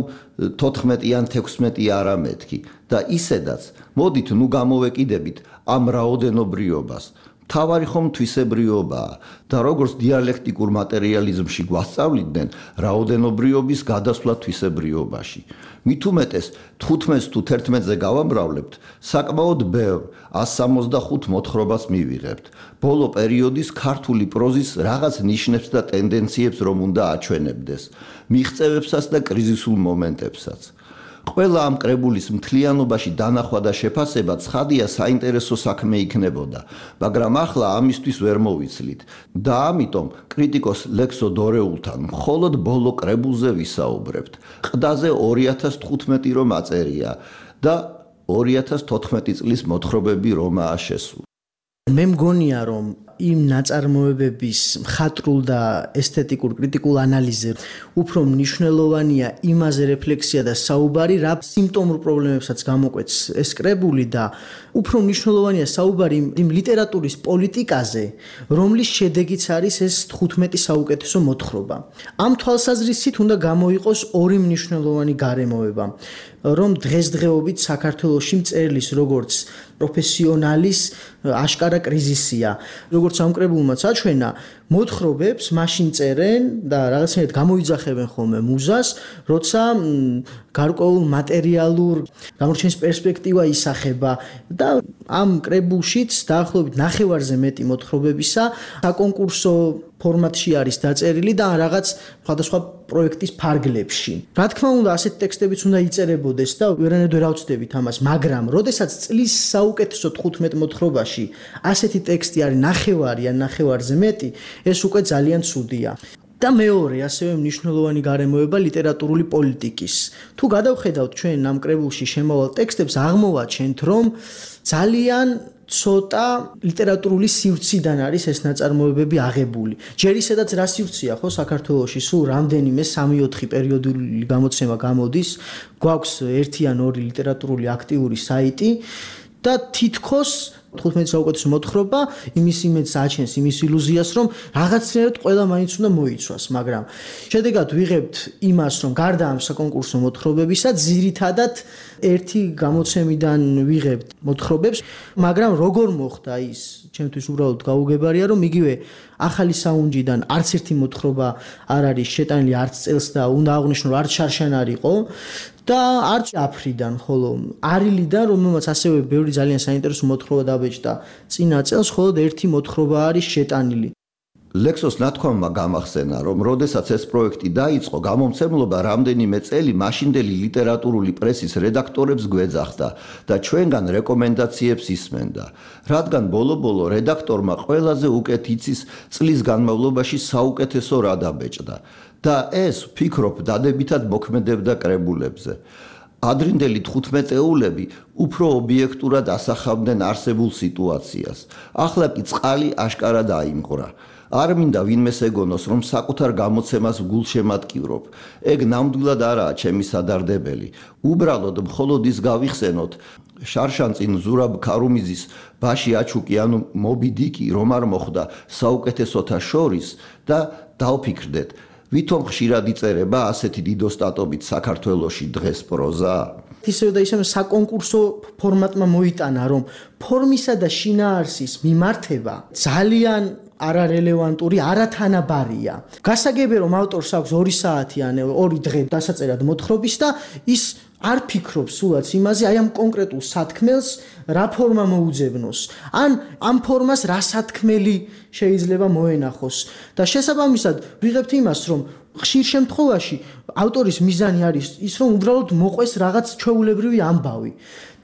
Speaker 13: თოთხმეტი ან თექვსმეტი არა მეთქი და ისედაც მოდით ნუ გამოვეკიდებით ამ რაოდენობრიობას. თავარი ხომ თვისებრიობაა და როგორც დიალექტიკურ მატერიალიზმში გვასწავლიდნენ, რაოდენობრიობის გადასვლა თვისებრიობაში. მით უმეტეს თხუთმეტს თუ თერთმეტზე გავამრავლებთ, საკმაოდ ბევრ ას სამოცდახუთ მოთხრობას მივიღებთ. ბოლო პერიოდის ქართული პროზის რაღაც ნიშნებს და ტენდენციებს რომ უნდა აჩვენებდეს, მიღწევებსაც და კრიზისულ მომენტებსაც. ყველა ამ კრებულის მთლიანობაში დანახვა და შეფასება ცხადია საინტერესო საქმე იქნებოდა, მაგრამ ახლა ამისთვის ვერ მოვიცლით და ამიტომ კრიტიკოს ლექსო დორეულთან მხოლოდ ბოლო კრებულზე ვისაუბრებთ. ყდაზე ორი ათას თხუთმეტი რომ აწერია და ორი ათას თოთხმეტი წლის მოთხრობები რომაა შესული.
Speaker 14: მე მგონია რომ იმ ნაწარმოებების მხატვრულ და ესთეტიკურ კრიტიკულ ანალიზზე უფრო მნიშვნელოვანია იმაზე რეფლექსია და საუბარი, რა სიმპტომურ პრობლემებსაც გამოკვეთს ეს კრებული და უფრო მნიშვნელოვანია საუბარი იმ ლიტერატურის პოლიტიკაზე, რომლის შედეგიც არის ეს თხუთმეტი საუკეთესო მოთხრობა. ამ თვალსაზრისით უნდა გამოიყოს ორი მნიშვნელოვანი გარემოება, რომ დღესდღეობით საქართველოში მწერლის როგორც პროფესიონალის აშკარა კრიზისია. როგორც ამ კრებულმაც აჩვენა, მოთხრობებს მაშინ წერენ და რაღაცნაირად გამოიძახებენ ხოლმე მუზას, როცა გარკვეულ მატერიალურ გამორჩენის პერსპექტივა ისახება და ამ კრებულშიც დაახლოებით ნახევარზე მეტი მოთხრობებისა საკონკურსო ფორმატში არის დაწერილი და რაღაც სხვადასხვა პროექტის ფარგლებში. რა თქმა უნდა, ასეთი ტექსტებიც უნდა იწერებოდეს და ვერანაირად ვერ ავწდებით ამას, მაგრამ როდესაც წლის საუკეთესო თხუთმეტ მოთხრობაში ასეთი ტექსტი არის ნახევარი ან ნახევარზე მეტი, ეს უკვე ძალიან ცუდია. და მეორე, ასევე მნიშვნელოვანი გარემოება ლიტერატურული პოლიტიკის. თუ გადავხედავთ ჩვენ ამ კრებულში შემავალ ტექსტებს, აღმოვაჩენთ, რომ ძალიან ცოტა ლიტერატურული სივრციდან არის ეს ნაწარმოებები აღებული. ჯერ ისედაც რა სივრცეა ხო საქართველოში, სულ რამდენიმე სამი ოთხი პერიოდული გამოცემა გამოდის, გვაქვს ერთი ან ორი ლიტერატურული აქტიური საიტი და თითქოს თხუთმეტი საუკეთესო მოთხრობა იმის იმედს აჩენს, იმის ილუზიას, რომ რაღაცნაირად ყველა მაინც უნდა მოიცვას, მაგრამ შედეგად ვიღებთ იმას, რომ გარდა ამ საკონკურსო მოთხრობებისა, ძირითადად ერთი გამოცემიდან ვიღებთ მოთხრობებს, მაგრამ როგორ მოხდა ის, ჩემთვის უბრალოდ გაუგებარია, რომ იგივე ახალი საუნჯიდან არც ერთი მოთხრობა არ არის შეტანილი არც წელს და უნდა აღვნიშნო, რომ არც შარშანარიყო და არც აფრიდან, ხოლო არილიდან, რომელმაც ასევე ბევრი ძალიან საინტერესო მოთხრობა დაბეჭდა წინა წელს, მხოლოდ ერთი მოთხრობა არის შეტანილი.
Speaker 13: ლექსოს ნათქვამმა გამახსენა, რომ როდესაც ეს პროექტი დაიწყო, გამომცემლობა რამდენიმე წელი მაშინდელი ლიტერატურული პრესის რედაქტორებს გვეძახდა და ჩვენგან რეკომენდაციებს ისმენდა, რადგან ბოლო-ბოლო რედაქტორმა ყველაზე უკეთ იცის წლის განმავლობაში საუკეთესო რა დაბეჭდა და ეს, ვფიქრობ, დადებითად მოქმედებდა კრებულებზე. ადრინდელი თხუთმეტეულები უფრო ობიექტურად ასახავდნენ არსებულ სიტუაციას. ახლა კი წყალი აშკარად აიმღვრა. არ მინდა ვინმეს ეგონოს, რომ საკუთარ გამოცემას გულშემატკივრობ. ეგ ნამდვილად არაა ჩემი სადარდებელი. უბრალოდ მხოლოდ ის გავიხსენოთ, შარშანწინ ზურაბ ქარუმიძის ბაში აჩუკი ანუ მობი დიკი რომ არ მოხდა საუკეთესოთა შორის და დავფიქრდეთ, ვითომ ხშირად იწერება ასეთი დიდოსტატობით საქართველოში დღეს პროზა?
Speaker 14: ისევ და ისევ საკონკურსო ფორმატმა მოიტანა, რომ ფორმისა და შინაარსის მიმართება ძალიან არარელევანტური, არათანაბარია. გასაგებია, რომ ავტორს აქვს ორი საათი ან ორი დღე დასაწერად მოთხრობის და ის არ ფიქრობს სულაც იმაზე, აი ამ კონკრეტულ სათქმელს რა ფორმა მოუძებნოს. ან ამ ფორმას რა სათქმელი შეიძლება მოენახოს. და შესაბამისად ვიღებთ იმას, რომ ხშირ შემთხვევაში ავტორის მიზანი არის ის, რომ უბრალოდ მოყვეს რაღაც ჩვეულებრივი ამბავი.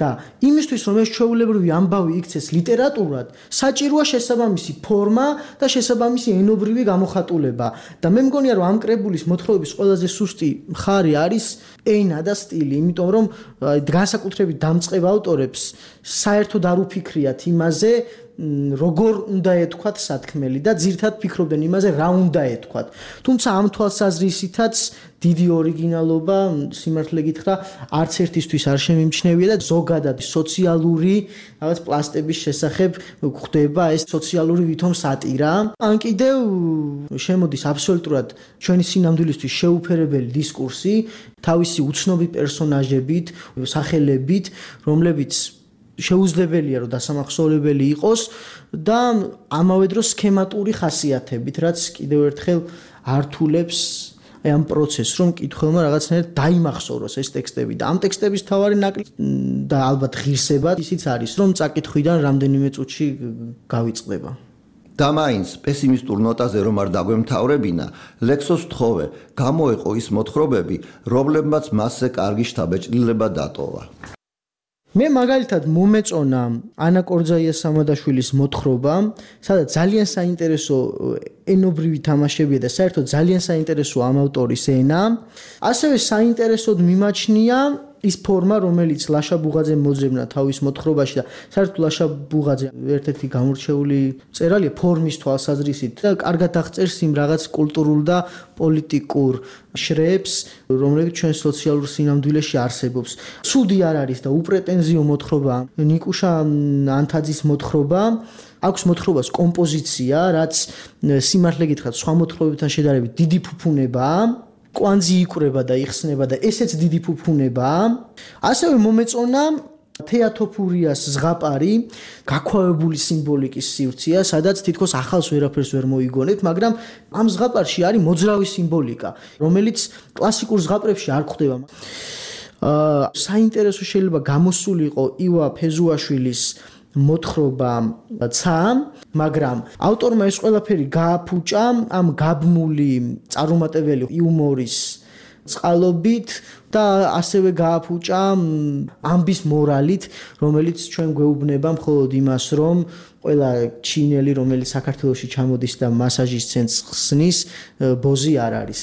Speaker 14: და იმისთვის, რომ ეს ჩვეულებრივი ამბავი იქცეს ლიტერატურად, საჭიროა შესაბამისი ფორმა და შესაბამისი ენობრივი გამოხატულება. და მე მგონია, რომ ამ კრებულის მოთხრობის ყველაზე სუსტი მხარე არის ენა და სტილი, იმიტომ რომ განსაკუთრებით დამწყებ ავტორებს საერთოდ არ უფიქრიათ იმაზე, როგორ უნდა ეთქვათ სათქმელი და ძირთად ფიქრობდნენ იმაზე, რა უნდა ეთქვათ. თუმცა ამ თვალსაზრისითაც დიდი ორიგინალობა, სიმართლე გითხრა, არც ერთისთვის არ შემიმჩნევია და ზოგადად სოციალური რაღაც პლასტების შესახებ გვხვდება ეს სოციალური ვითომ სატირა. ან კიდევ შემოდის აბსოლუტურად ჩვენი სინამდვილისთვის შეუფერებელი დისკურსი, თავისი უცნობი პერსონაჟებით, სახელებით, რომლებიც შეუძლებელია, რომ დასამახსოვრებელი იყოს და ამავე დროს სქემატური ხასიათებით, რაც კიდევ ერთხელ ართულებს ამ პროცესს, რომ მკითხველმა რაღაცნაირად დაიმახსოვროს ეს ტექსტები და ამ ტექსტების თავარი ნაკლი და ალბათ ღირსება ისიც არის, რომ წაკითხვიდან რამდენიმე წუთში გავიწყდება.
Speaker 13: და მაინც პესიმისტურ ნოტაზე რომ არ დაგვემთავრებინა, ლექსოს თხოვე გამოეყო ის მოთხრობები, რომლებმაც მასზე კარგი შთაბეჭდილება დატოვა.
Speaker 14: მე მაგალითად მომეწონა ანა კორძაიას სამადაშვილის მოთხრობა, სადაც ძალიან საინტერესო ენობრივი თამაშებია და საერთოდ ძალიან საინტერესო ამ ავტორის ენა. ასევე საინტერესოდ მიმაჩნია ის ფორმა, რომელიც ლაშა ბუღაძემ მოძებნა თავის მოთხრობაში და საერთოდ ლაშა ბუღაძე ერთ-ერთი გამორჩეული მწერალია ფორმის თვალსაზრისით და კარგად აღწერს იმ რაღაც კულტურულ და პოლიტიკურ შრეებს, რომლებიც ჩვენ სოციალურ სინამდვილეში არსებობს. ცუდი არ არის და უპრეტენზიო მოთხრობა ნიკუშა ანთაძის მოთხრობა. აქვს მოთხრობას კომპოზიცია, რაც სიმართლე გითხრათ, სხვა მოთხრობებთან შედარებით დიდი ფუფუნებაა. კვანძი იკვრება და იხსნება და ესეც დიდი ფუფუნებაა. ასევე მომეწონა თეატოფურიას ზღაპარი, გაქვავებული სიმბოლიკის სივრცეა, სადაც თითქოს ახალს ვერაფერს ვერ მოიგონებთ, მაგრამ ამ ზღაპარში არის მოძრავი სიმბოლიკა, რომელიც კლასიკურ ზღაპრებში არ გვხვდება. აა საინტერესო შეიძლება გამოსულიყო ივა ფეზუაშვილის მოთხრობა ცა, მაგრამ ავტორმა ეს ყველაფერი გააფუჭა ამ გაბმული წარუმატებელი იუმორის წყალობით და ასევე გააფუჭა ამბის მორალით, რომელიც ჩვენ გვეუბნება მხოლოდ იმას, რომ ყველა ჩინელი, რომელიც საქართველოში ჩამოდის და მასაჟის ცენტრს ხსნის, ბოზი არ არის.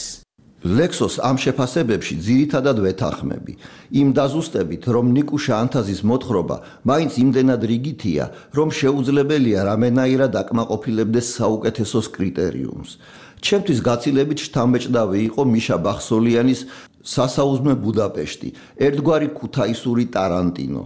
Speaker 13: ლექსოს ამ შეფასებებში ძირითადად ვეთანხმები. იმ დაზუსტებით, რომ ნიკუშა ანთაზის მოთხრობა მაინც იმდენად რიგითია, რომ შეუძლებელია რამენაირად აკმაყოფილებდეს საუკეთესოს კრიტერიუმს. ჩემთვის გაცილებით შთამბეჭდავი იყო მიშა ბახსოლიანის სასაუზმე ბუდაპეშტი, ერთგვარი ქუთაისური ტარანტინო.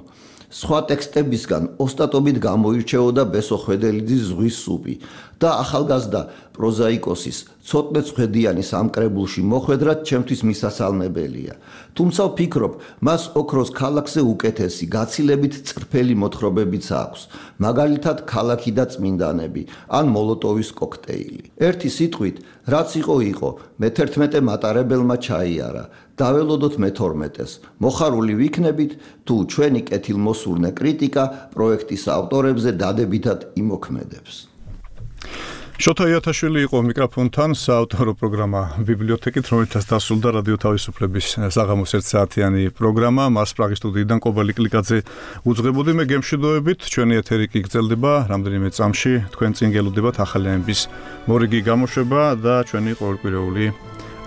Speaker 13: სხვა ტექსტებისგან ოსტატობით გამოირჩეოდა ბესო ხვედელიძის ზღვის სუპი და ახალგაზრდა პროზაიკოსის ცოტნე ცხვედიანის ამ კრებულში მოხვედრად ჩემთვის მისასალმებელია. თუმცა ვფიქრობ, მას ოქროს ქალაქზე უკეთესი, გაცილებით წრფელი მოთხრობებიც აქვს, მაგალითად ქალაქი და წმინდანები ან მოლოტოვის კოქტეილი. ერთი სიტყვით, რაც იყო იყო, მეთერთმეტე მატარებელმა ჩაიარა. დაველოდოთ მეთორმეტეს. მოხარული ვიქნებით, თუ ჩვენი კეთილმოსურნე კრიტიკა პროექტის ავტორებზე დადებითად იმოქმედებს.
Speaker 3: შოთა იათაშვილი იყო მიკროფონთან, საავტორო პროგრამა ბიბლიოთეკით, რომელთაც დასრულდა რადიო თავისუფლების საღამოს ერთ საათიანი პროგრამა. მას პრაღის სტუდიიდან კობალი კლიკაძე უძღვებოდი. მე გემშვიდობებით, ჩვენი ეთერი კი გრძელდება რამდენიმე წამში. თქვენ წინ გელოდებათ ახალი ამბის მორიგი გამოშვება და ჩვენი ყოველკვირეული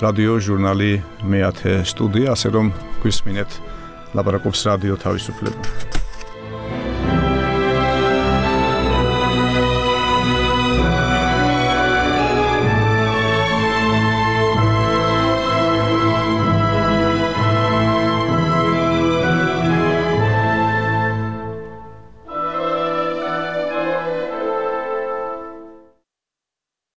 Speaker 3: რადიო ჟურნალი მეათე სტუდია, ასე რომ გვისმინეთ ლაპარაკობს რადიო თავისუფლება.